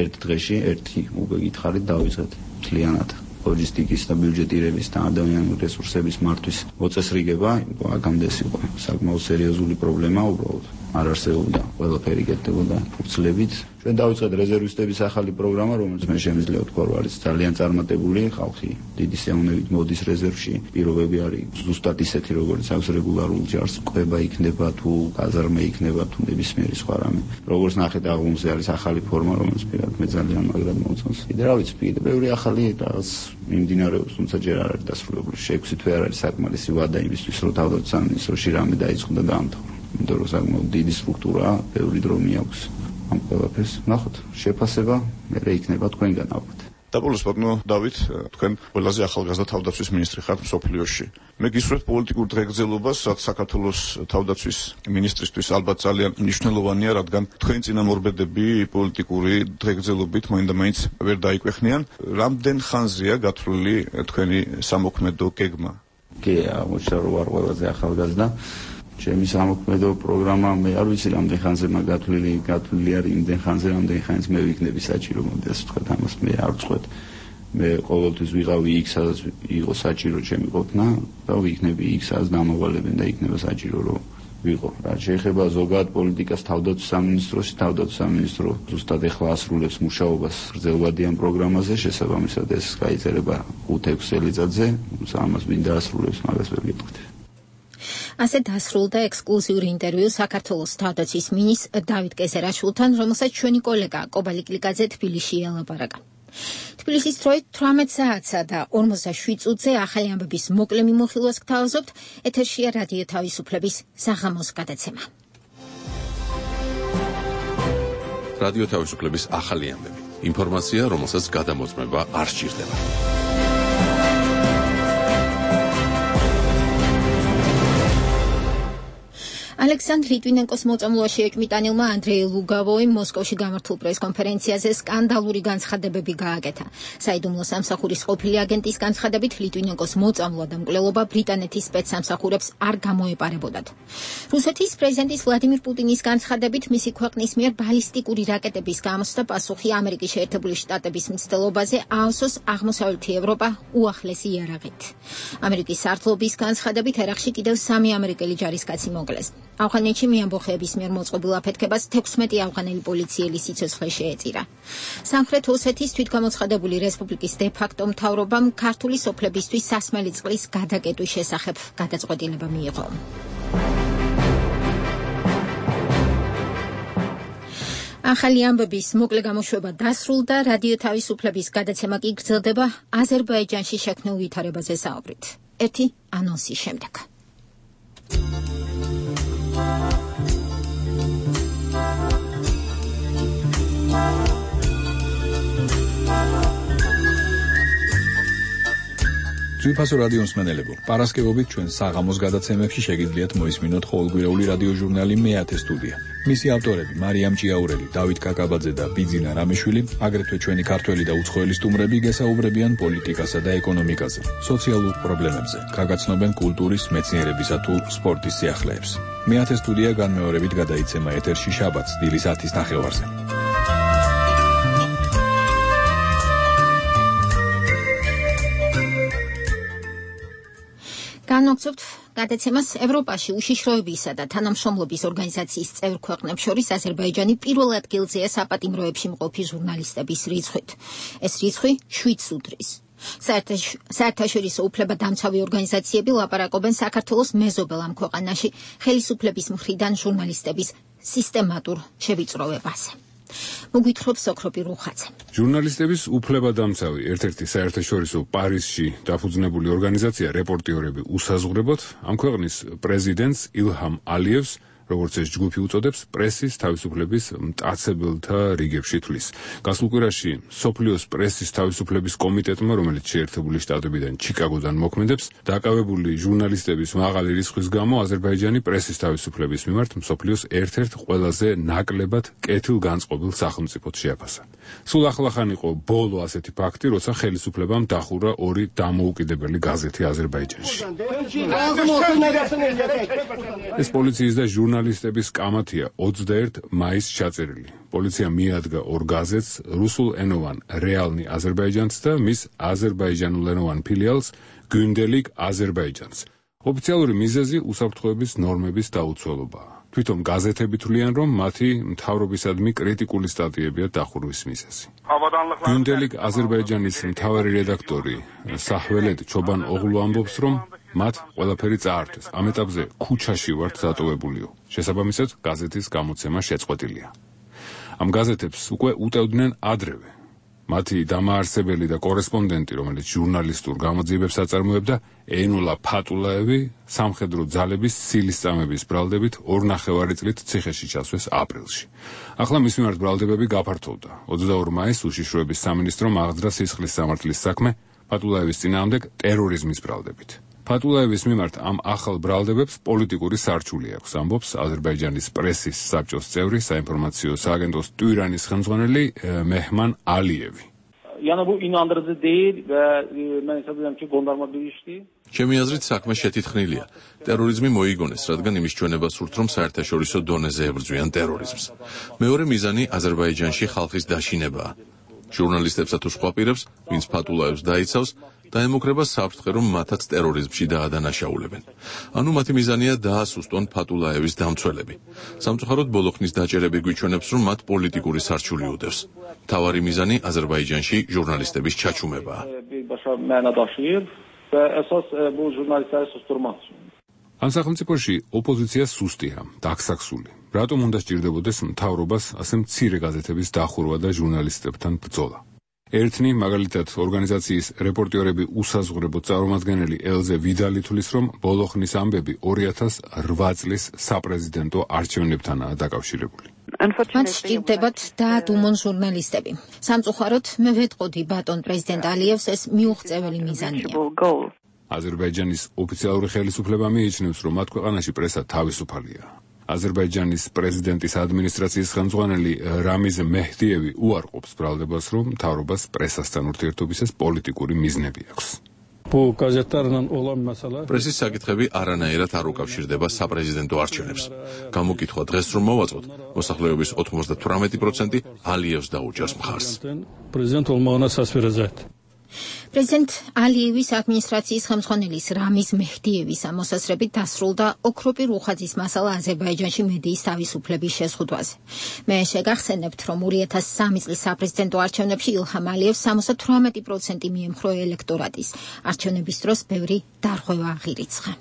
ერთ დღეში, ერთი უკვე გითხარით დავიწყეთ მთლიანად. ლოჯისტიკის და ბიუჯეტირების და ადამიანური რესურსების მართვის მოწესრიგება, აქამდე ეს იყო საკმაოდ სერიოზული პრობლემა, უბრალოდ არ არსებობდა, ყველაფერი კეთდებოდა ფურცლებით. ჩვენ დავიწყეთ რეზერვისტების ახალი პროგრამა, რომელიც მე შემიძლია ვთქვა, რომ არის ძალიან წარმატებული, ხალხი დიდი სიამოვნებით მოდის რეზერვში. პირობები არის ზუსტად ისეთი, როგორც აქვს რეგულარულ ჯარს, ყובה იქნება თუ გაზარმა იქნება თუ ნებისმიერი სხვა რამე. როგორც ნახეთ, აღումზე არის ახალი ფორმა, რომელიც პირად მე ძალიან მაგრად მომწონს. კიდე რა ვიცი, კიდე ბევრი ახალი რაღაც მიმდინარეობს, თუმცა ჯერ არ არის დასრულებული. შეექვსი თვე არ არის საკმარისი ვადა იმისთვის, რომ თავდაცვის სამინისტროში რამე დაიწყო და დაამთავრა. იმიტომ რომ საკმაოდ დიდი სტრუქტურაა, ბევრი დრო მიაქვს ამ ყველაფერს. ნახოთ, შეფასება მერე იქნება თქვენგან ალბათ. და ბოლოს ბატონო დავით, თქვენ ყველაზე ახალგაზრდა თავდაცვის მინისტრი ხართ მსოფლიოში. მე გისურვებთ პოლიტიკურ დღეგრძელობას, რაც საქართველოს თავდაცვის მინისტრისთვის ალბათ ძალიან მნიშვნელოვანია, რადგან თქვენი წინამორბედები პოლიტიკური დღეგრძელობით მაინდა-მაინც ვერ დაიკვეხნიან. რამდენ ხანზეა გათვლილი თქვენი სამოქმედო გეგმა? კი, აღმოჩნდა რომ ვარ ყველაზე ახალგაზრდა. ჩემი სამოქმედო პროგრამა მე არ ვიცი რამდენ ხანზე მაგ გათვლილი გათვლილი არის იმდენ ხანზე რამდენ ხანს მე ვიქნები საჭირო მოდი ასე ვთქვათ ამას მე არ ვწყვეტ მე ყოველთვის ვიყავი იქ სადაც იყო საჭირო ჩემი ყოფნა და ვიქნები იქ სადაც დამოვალებენ და იქნება საჭირო რომ ვიყო რა შეეხება ზოგადად პოლიტიკას თავდაცვის სამინისტროში თავდაცვის სამინისტრო ზუსტად ეხლა ასრულებს მუშაობას გრძელვადიან პროგრამაზე შესაბამისად ეს გაიწერება ხუთ-ექვსი წელიწადზე ამას მინდა ასრულებს მაგას ვერ გეტყვით ასე დასრულდა ექსკლუზიური ინტერვიუ საქართველოს თავდაცვის მინისტრ დავით კეზერაშვილთან, რომელსაც ჩვენი კოლეგა კობა ლიკლიკაძე თბილისში ელაპარაკა. თბილისის დროით თვრამეტ საათსა და ორმოცდაშვიდ წუთზე ახალი ამბების მოკლე მიმოხილვას გთავაზობთ. ეთერშია რადიო თავისუფლების საღამოს გადაცემა. რადიო თავისუფლების ახალი ამბები. ინფორმაცია, რომელსაც გადამოწმება არ სჭირდება. ალექსანდრ ლიტვინენკოს მოწამვლაში ეჭვმიტანილმა ანდრეი ლუგავოიმ მოსკოვში გამართულ პრეს-კონფერენციაზე სკანდალური განცხადებები გააკეთა. საიდუმლო სამსახურის ყოფილი აგენტის განცხადებით ლიტვინენკოს მოწამვლა და მკვლელობა ბრიტანეთის სპეცსამსახურებს არ გამოეპარებოდათ. რუსეთის პრეზიდენტის ვლადიმირ პუტინის განცხადებით მისი ქვეყნის მიერ ბალისტიკური რაკეტების გამოსვლა პასუხი ამერიკის შეერთებული შტატების მცდელობაზე აავსოს აღმოსავლეთი ევროპა უახლესი იარაღით. ამერიკის სარდლობის განცხადებით ერაყში კიდევ სამი ამერიკელი ჯარისკაცი მოკლეს. ავღანეთში მიამბოხეების მიერ მოწყობილ აფეთქებას თექვსმეტი ავღანელი პოლიციელი სიცოცხლე შეეწირა. სამხრეთ ოსეთის თვითგამოცხადებული რესპუბლიკის დე-ფაქტო მთავრობამ ქართული სოფლებისთვის სასმელი წყლის გადაკეტვის შესახებ გადაწყვეტილება მიიღო. ახალი ამბების მოკლე გამოშვება დასრულდა, რადიო თავისუფლების გადაცემა კი გრძელდება აზერბაიჯანში შექმნილ ვითარებაზე საუბრით. ერთი ანონსის შემდეგ. ძვირფასო რადიო მსმენელებო, პარასკევობით ჩვენ საღამოს გადაცემებში შეგიძლიათ მოისმინოთ ყოველკვირეული რადიო ჟურნალი მეათე სტუდია. მისი ავტორები მარიამ ჭიაურელი, დავით კაკაბაძე და ბიძინა რამიშვილი, აგრეთვე ჩვენი ქართველი და უცხოელი სტუმრები გესაუბრებიან პოლიტიკასა და ეკონომიკაზე, სოციალურ პრობლემებზე, გაგაცნობენ კულტურის, მეცნიერებისა თუ სპორტის სიახლეებს. მეათე სტუდია განმეორებით გადაიცემა ეთერში შაბათს დილის ათის ნახევარზე. განვაგრძობთ გადაცემას ევროპაში უშიშროებისა და თანამშრომლობის ორგანიზაციის წევრ ქვეყნებს შორის აზერბაიჯანი პირველ ადგილზეა საპატიმროებში მყოფი ჟურნალისტების რიცხვით. ეს რიცხვი შვიდს უდრის. საერთაშორისო უფლებადამცავი ორგანიზაციები ლაპარაკობენ საქართველოს მეზობელ ამ ქვეყანაში ხელისუფლების მხრიდან ჟურნალისტების სისტემატურ შევიწროვებაზე. მოგვითხრობს ოქროპი რუხაძე. ჟურნალისტების უფლებადამცავი ერთ-ერთი საერთაშორისო პარიზში დაფუძნებული ორგანიზაცია რეპორტიორები უსაზღვრებოდ ამ ქვეყნის პრეზიდენტს ილჰამ ალიევს როგორც ეს ჯგუფი უწოდებს, პრესის თავისუფლების მტაცებელთა რიგებში თვლის. გასულ კვირაში სოფლიოს პრესის თავისუფლების კომიტეტმა, რომელიც შეერთებული შტატებიდან ჩიკაგოდან მოქმედებს, დაკავებული ჟურნალისტების მაღალი რიცხვის გამო აზერბაიჯანი პრესის თავისუფლების მიმართ მსოფლიოს ერთ-ერთ ყველაზე ნაკლებად კეთილგანწყობილ სახელმწიფოდ შეაფასა. სულ ახლახან იყო ბოლო ასეთი ფაქტი, როცა ხელისუფლებამ დახურა ორი დამოუკიდებელი გაზეთი აზერბაიჯანში. ეს პოლიციის და ჟურნალისტების კამათია ოცდაერთი მაისს ჩაწერილი. პოლიცია მიადგა ორ გაზეთს, რუსულენოვან რეალნი აზერბაიჯანს და მის აზერბაიჯანულენოვან ფილიალს გუნდელიკ აზერბაიჯანს. ოფიციალური მიზეზი უსაფრთხოების ნორმების დაუცველობაა. თვითონ გაზეთები თვლიან, რომ მათი მთავრობისადმი კრიტიკული სტატიებია დახურვის მიზეზი. გუნდელიკ აზერბაიჯანის მთავარი რედაქტორი საჰველედ ჩობან ოღლუ ამბობს, რომ მათ ყველაფერი წაართვეს. ამ ეტაპზე ქუჩაში ვართ დატოვებულიო. შესაბამისად, გაზეთის გამოცემა შეწყვეტილია. ამ გაზეთებს უკვე უტევდნენ ადრევე. მათი დამაარსებელი და კორესპონდენტი, რომელიც ჟურნალისტურ გამოძიებებს აწარმოებდა, ენულა ფატულაევი, სამხედრო ძალების სილისწამების ბრალდებით ორ ნახევარი წლით ციხეში ჩასვეს აპრილში. ახლა მის მიმართ ბრალდებები გაფართოვდა. ოცდაორ მაისს უშიშროების სამინისტრომ აღძრა სისხლის სამართლის საქმე ფატულაევის წინააღმდეგ ტერორიზმის ბრალდებით. ფატულაევის მიმართ ამ ახალ ბრალდებებს პოლიტიკური სარჩული აქვს, ამბობს აზერბაიჯანის პრესის საბჭოს წევრი, საინფორმაციო სააგენტოს ტვირანის ხელმძღვანელი მეჰმან ალიევი. Yəni bu inandırıcı deyil və mən hesab edirəm ki, qondarma bir işdir. ჩემი აზრით საქმე შეთითხნილია. ტერორიზმი მოიგონეს, რადგან იმის ჩვენება სურთ, რომ საერთაშორისო დონეზე ებრძვიან ტერორიზმს. მეორე მიზანი აზერბაიჯანში ხალხის დაშინებაა. ჟურნალისტებსა თუ სხვა პირებს, ვინც ფატულაევს დაიცავს, დაემუქრება საფრთხე, რომ მათაც ტერორიზმში დაადანაშაულებენ. ანუ მათი მიზანია დაასუსტონ ფატულაევის დამცველები. სამწუხაროდ ბოლოხნის დაჭერები გვიჩვენებს, რომ მათ პოლიტიკური სარჩული უდევს. მთავარი მიზანი აზერბაიჯანში ჟურნალისტების ჩაჩუმებაა. Başa məna daşıyır və əsas bu jurnalistləri susturmaq üçün. ამ სახელმწიფოში ოპოზიცია სუსტია, დაქსაქსული. რატომ უნდა სჭირდებოდეს მთავრობას ასე მცირე გაზეთების დახურვა და ჟურნალისტებთან ბრძოლა? ერთნი, მაგალითად, ორგანიზაციის რეპორტიორები უსაზღვრებო წარმომადგენელი ელზე ვიდალი თვლის, რომ ბოლოხნის ამბები ორი ათას ოთხ წლის საპრეზიდენტო არჩევნებთანაა დაკავშირებული. მათ სჭირდებათ დაადუმონ ჟურნალისტები. სამწუხაროდ, მე ვეტყოდი ბატონ პრეზიდენტ ალიევს, ეს მიუღწეველი მიზანია. აზერბაიჯანის ოფიციალური ხელისუფლება მიიჩნევს, რომ მათ ქვეყანაში პრესა თავისუფალია. აზერბაიჯანის პრეზიდენტის ადმინისტრაციის ხელმძღვანელი რამიზ მეჰდიევი უარყოფს ბრალდებას, რომ მთავრობას პრესასთან ურთიერთობისას პოლიტიკური მიზნები აქვს. პრესის საკითხები არანაირად არ უკავშირდება საპრეზიდენტო არჩევნებს. გამოკითხვა დღეს რომ მოვაწყოთ, მოსახლეობის ოცდათვრამეტი პროცენტი ალიევს დაუჭერს მხარს. პრეზიდენტ ალიევის ადმინისტრაციის ხელმძღვანელის რამიზ მეჰდიევის მოსაზრებით დასრულდა ოქროპი რუხაძის მასალა აზერბაიჯანში მედიის თავისუფლების შეზღუდვაზე. მე შეგახსენებთ, რომ ორი ათას სამი წლის საპრეზიდენტო არჩევნებში ილჰამ ალიევს სამოცდათვრამეტი პროცენტი მიემხრო ელექტორატის. არჩევნების დროს ბევრი დარღვევა აღირიცხა.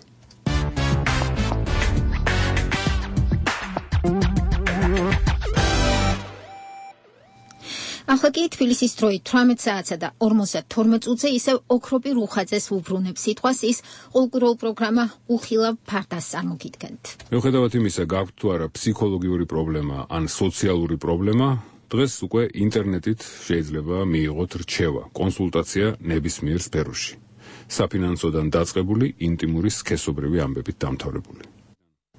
ახლა კი თბილისის დროით თვრამეტ საათსა და ორმოცდათორმეტ წუთზე ისევ ოქროპი რუხაძეს უბრუნებს სიტყვას ის ყოველკვირეულ პროგრამა უხილავ ფარდას წარმოგიდგენთ. მიუხედავად იმისა, გაქვთ თუ არა ფსიქოლოგიური პრობლემა ან სოციალური პრობლემა, დღეს უკვე ინტერნეტით შეიძლება მიიღოთ რჩევა, კონსულტაცია ნებისმიერ სფეროში. საფინანსოდან დაწყებული ინტიმური სქესობრივი ამბებით დამთავრებული.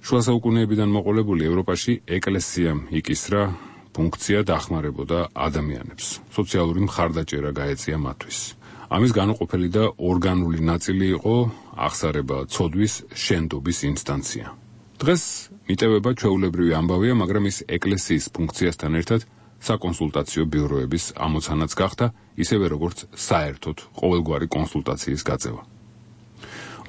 შუა საუკუნეებიდან მოყოლებული ევროპაში ეკლესიამ იკისრა ფუნქცია დახმარებოდა ადამიანებს. სოციალური მხარდაჭერა გაეწია მათთვის. ამის განუყოფელი და ორგანული ნაწილი იყო აღსარება ცოდვის შენდობის ინსტანცია. დღეს მიტევება ჩვეულებრივი ამბავია, მაგრამ ის ეკლესიის ფუნქციასთან ერთად საკონსულტაციო ბიუროების ამოცანაც გახდა, ისევე როგორც საერთოდ ყოველგვარი კონსულტაციის გაწევა.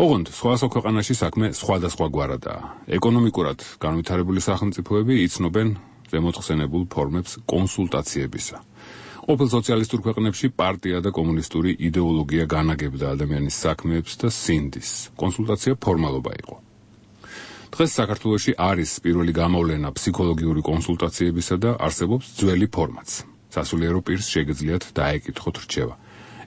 ოღონდ სხვა ქვეყანაში საქმე სხვადასხვაგვარადაა. ეკონომიკურად განვითარებული სახელმწიფოები იცნობენ ზემოთხსენებულ ფორმებს კონსულტაციებისა. ყოფილ სოციალისტურ ქვეყნებში პარტია და კომუნისტური იდეოლოგია განაგებდა ადამიანის საქმეებს და სინდის. კონსულტაცია ფორმალობა იყო. დღეს საქართველოში არის პირველი გამოვლენა ფსიქოლოგიური კონსულტაციებისა და არსებობს ძველი ფორმაც. სასულიერო პირს შეგიძლიათ დაეკითხოთ რჩევა.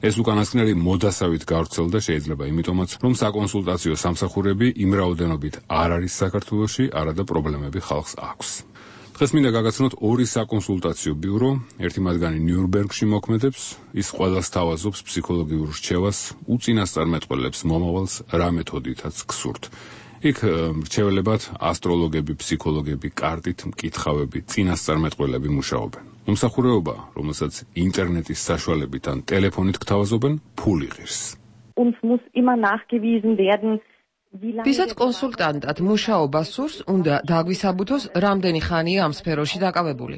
ეს უკანასკნელი მოდასავით გავრცელდა შეიძლება იმიტომაც, რომ საკონსულტაციო სამსახურები იმ რაოდენობით არ არის საქართველოში, არადა პრობლემები ხალხს აქვს. დღეს მინდა გაგაცნოთ ორი საკონსულტაციო ბიურო, ერთი მათგანი ნიურნბერგში მოქმედებს, ის ყველას თავაზობს ფსიქოლოგიურ რჩევას, უწინასწარმეტყველებს მომავალს რა მეთოდითაც გსურთ. იქ რჩეველებად ასტროლოგები, ფსიქოლოგები, კარტით მკითხავები, წინასწარმეტყველები მუშაობენ. მომსახურეობა, რომელსაც ინტერნეტის საშუალებით ან ტელეფონით გთავაზობენ, ფული ღირს. Uns muss immer nachgewiesen werden, ვისაც კონსულტანტად მუშაობა სურს, უნდა დაგვისაბუთოს, რამდენი ხანია ამ სფეროში დაკავებული.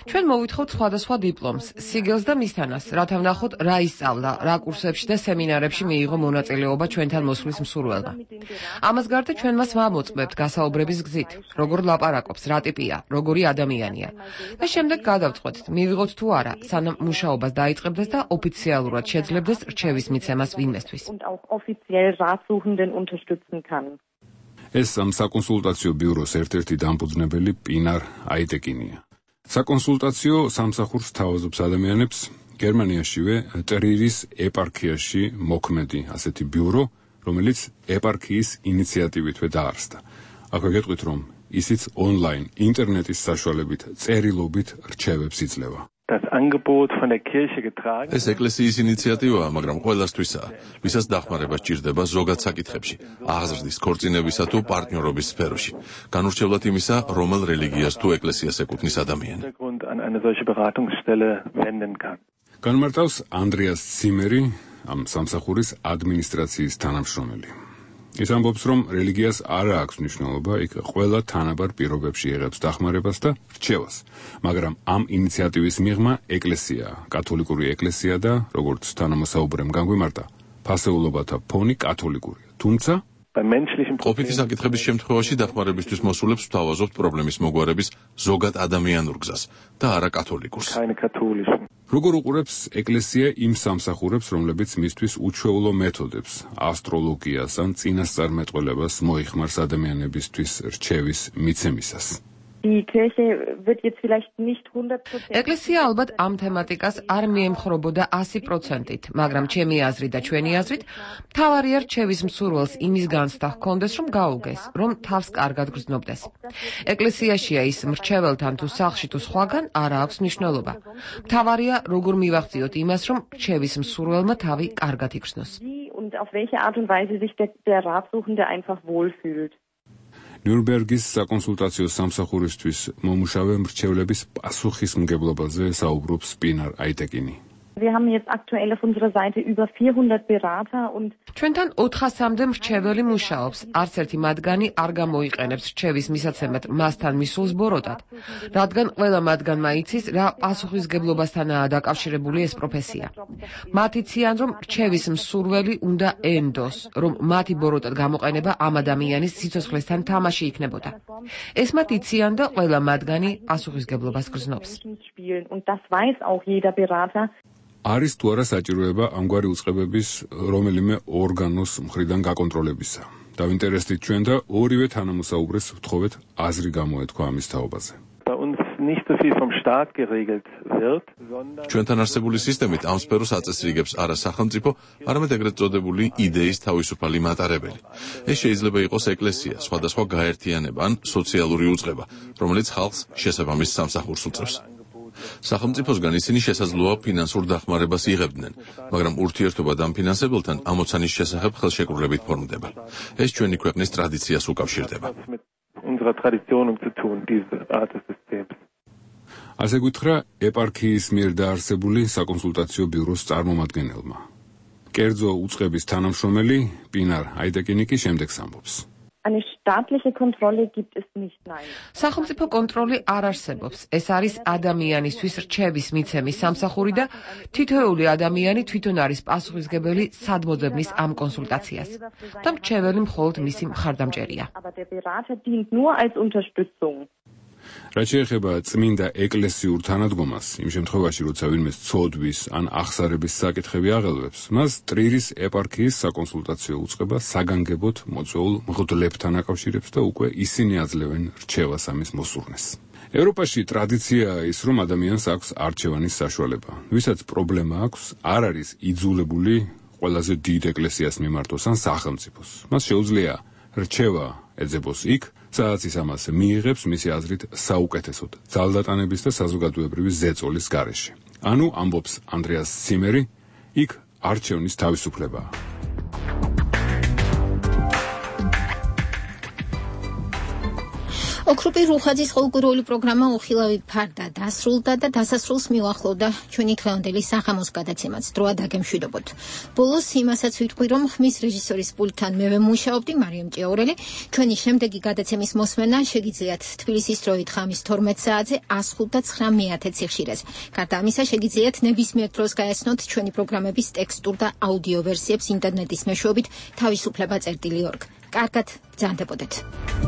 ჩვენ მოვითხოვთ სხვადასხვა დიპლომს, სიგელს და მისთანას, რათა ვნახოთ, რა ისწავლა, რა კურსებში და სემინარებში მიიღო მონაწილეობა ჩვენთან მოსვლის მსურველმა. ამას გარდა ჩვენ მას ვამოწმებთ გასაუბრების გზით, როგორ ლაპარაკობს, რა ტიპია, როგორი ადამიანია. და შემდეგ გადავწყვეტთ, მივიღოთ თუ არა, სანამ მუშაობას დაიწყებდეს და ოფიციალურად შეძლებდეს რჩევის მიცემას ვინმესთვის. ეს ამ საკონსულტაციო ბიუროს ერთ-ერთი დამფუძნებელი პინარ აიტეკინია. საკონსულტაციო სამსახურს თავაზობს ადამიანებს გერმანიაშივე ტრირის ეპარქიაში მოქმედი ასეთი ბიურო, რომელიც ეპარქიის ინიციატივითვე დაარსდა. აქვე გეტყვით, რომ ისიც ონლაინ ინტერნეტის საშუალებით წერილობით რჩევებს იძლევა. ეს ეკლესიის ინიციატივაა, მაგრამ ყველასთვისაა, ვისაც დახმარება სჭირდება ზოგად საკითხებში, აღზრდის, ქორწინებისა თუ პარტნიორობის სფეროში, განურჩევლად იმისა, რომელ რელიგიას თუ ეკლესიას ეკუთვნის ადამიანი. განმარტავს ანდრეას ციმერი, ამ სამსახურის ადმინისტრაციის თანამშრომელი. ის ამბობს, რომ რელიგიას არ აქვს მნიშვნელობა, იქ ყველა თანაბარ პირობებში იღებს დახმარებას და რჩევას, მაგრამ ამ ინიციატივის მიღმა ეკლესიაა, კათოლიკური ეკლესია და, როგორც თანამოსაუბრემ განგვიმარტა, ფასეულობათა ფონი კათოლიკურია, თუმცა ყოფითი საკითხების შემთხვევაში დახმარებისთვის მოსულებს ვთავაზობთ პრობლემის მოგვარების ზოგად ადამიანურ გზას და არა კათოლიკურს. როგორ უყურებს ეკლესია იმ სამსახურებს, რომლებიც მისთვის უჩვეულო მეთოდებს, ასტროლოგიას ან წინასწარმეტყველებას მოიხმარს ადამიანებისთვის რჩევის მიცემისას? ეკლესია ალბათ ამ თემატიკას არ მიემხრობოდა ასი პროცენტით, მაგრამ ჩემი აზრით და ჩვენი აზრით, მთავარია რჩევის მსურველს იმის განცდა ჰქონდეს, რომ გაუგეს, რომ თავს კარგად გრძნობდეს. ეკლესიაშია ის მრჩეველთან თუ სახლში თუ სხვაგან არ აქვს მნიშვნელობა. მთავარია როგორ მივახციოთ იმას, რომ რჩევის მსურველმა თავი კარგად იგრძნოს. ნიურნბერგის საკონსულტაციო სამსახურისთვის მომუშავე მრჩევლების პასუხისმგებლობაზე საუბრობს პინარ აიტეკინი. ჩვენთან ოთხასამდე მრჩეველი მუშაობს, არც ერთი მათგანი არ გამოიყენებს რჩევის მისაცემად მასთან მისულს ბოროტად, რადგან ყველა მათგანმა იცის, რა პასუხისმგებლობასთანაა დაკავშირებული ეს პროფესია. მათ იციან, რომ რჩევის მსურველი უნდა ენდოს, რომ მათი ბოროტად გამოყენება ამ ადამიანის სიცოცხლესთან თამაში იქნებოდა. ეს მათ იციან და ყველა მათგანი პასუხისმგებლობას გრძნობს. არის თუ არა საჭიროება ამგვარი უწყებების რომელიმე ორგანოს მხრიდან გაკონტროლებისა. დავინტერესდით ჩვენ და ორივე თანამოსაუბრეს ვთხოვეთ აზრი გამოეთქვა ამის თაობაზე. ჩვენთან არსებული სისტემით ამ სფეროს აწესრიგებს არა სახელმწიფო, არამედ ეგრეთ წოდებული იდეის თავისუფალი მატარებელი. ეს შეიძლება იყოს ეკლესია, სხვადასხვა გაერთიანება ან სოციალური უწყება, რომელიც ხალხს შესაბამის სამსახურს უწევს. სახელმწიფოსგან ისინი შესაძლოა ფინანსურ დახმარებას იღებდნენ, მაგრამ ურთიერთობა დამფინანსებელთან ამოცანის შესახებ ხელშეკრულებით ფორმდება. ეს ჩვენი ქვეყნის ტრადიციას უკავშირდება. ასე გითხრა ეპარქიის მიერ დაარსებული საკონსულტაციო ბიუროს წარმომადგენელმა. კერძო უწყების თანამშრომელი პინარ აიტეკინი კი შემდეგს ამბობს. სახელმწიფო კონტროლი არ არსებობს. ეს არის ადამიანისთვის რჩევის მიცემის სამსახური და თითოეული ადამიანი თვითონ არის პასუხისმგებელი სადმოძებნის ამ კონსულტაციას. და მრჩეველი მხოლოდ მისი მხარდამჭერია. რაც შეეხება წმინდა ეკლესიურ თანადგომას, იმ შემთხვევაში, როცა ვინმე ცოდვის ან ახსარების საკითხები აღელვებს, მას ტრირის ეპარქიის საკონსულტაციო უწყება საგანგებოდ მოწვეულ მღვდლებთან აკავშირებს და უკვე ისინი აძლევენ რჩევას ამის მოსურნეს. ევროპაში ტრადიციაა ის, რომ ადამიანს აქვს არჩევანის საშუალება. ვისაც პრობლემა აქვს, არ არის იძულებული ყველაზე დიდ ეკლესიას მიმართოს ან სახელმწიფოს. მას შეუძლია რჩევა ეძებოს იქ, სადაც ის ამას მიიღებს მისი აზრით საუკეთესოდ, ძალდატანების და საზოგადოებრივი ზეწოლის გარეშე. ანუ ამბობს ანდრეას ციმერი, იქ არჩევნის თავისუფლებაა. ოქროპი რუხაძის ყოველკვირეული პროგრამა უხილავი ფარდა დასრულდა და დასასრულს მიუახლოვდა ჩვენი დღევანდელი სახამოს გადაცემაც. დროა დაგემშვიდობოთ. ბოლოს იმასაც ვიტყვი, რომ ხმის რეჟისორის პულტთან მე ვემუშაობდი, მარიამ ჭიაურელი. ჩვენი შემდეგი გადაცემის მოსმენა შეგიძლიათ თბილისის დროით ხამის თორმეტ საათზე ას ხუთ და ცხრა მეათე ციხშირეს. გარდა ამისა შეგიძლიათ ნებისმიერ დროს გაეცნოთ ჩვენი პროგრამების ტექსტურ და აუდიო ვერსიებს ინტერნეტის მეშვეობით თავისუფლება წერტილი ორგ. კარგად ბრძანდებოდეთ.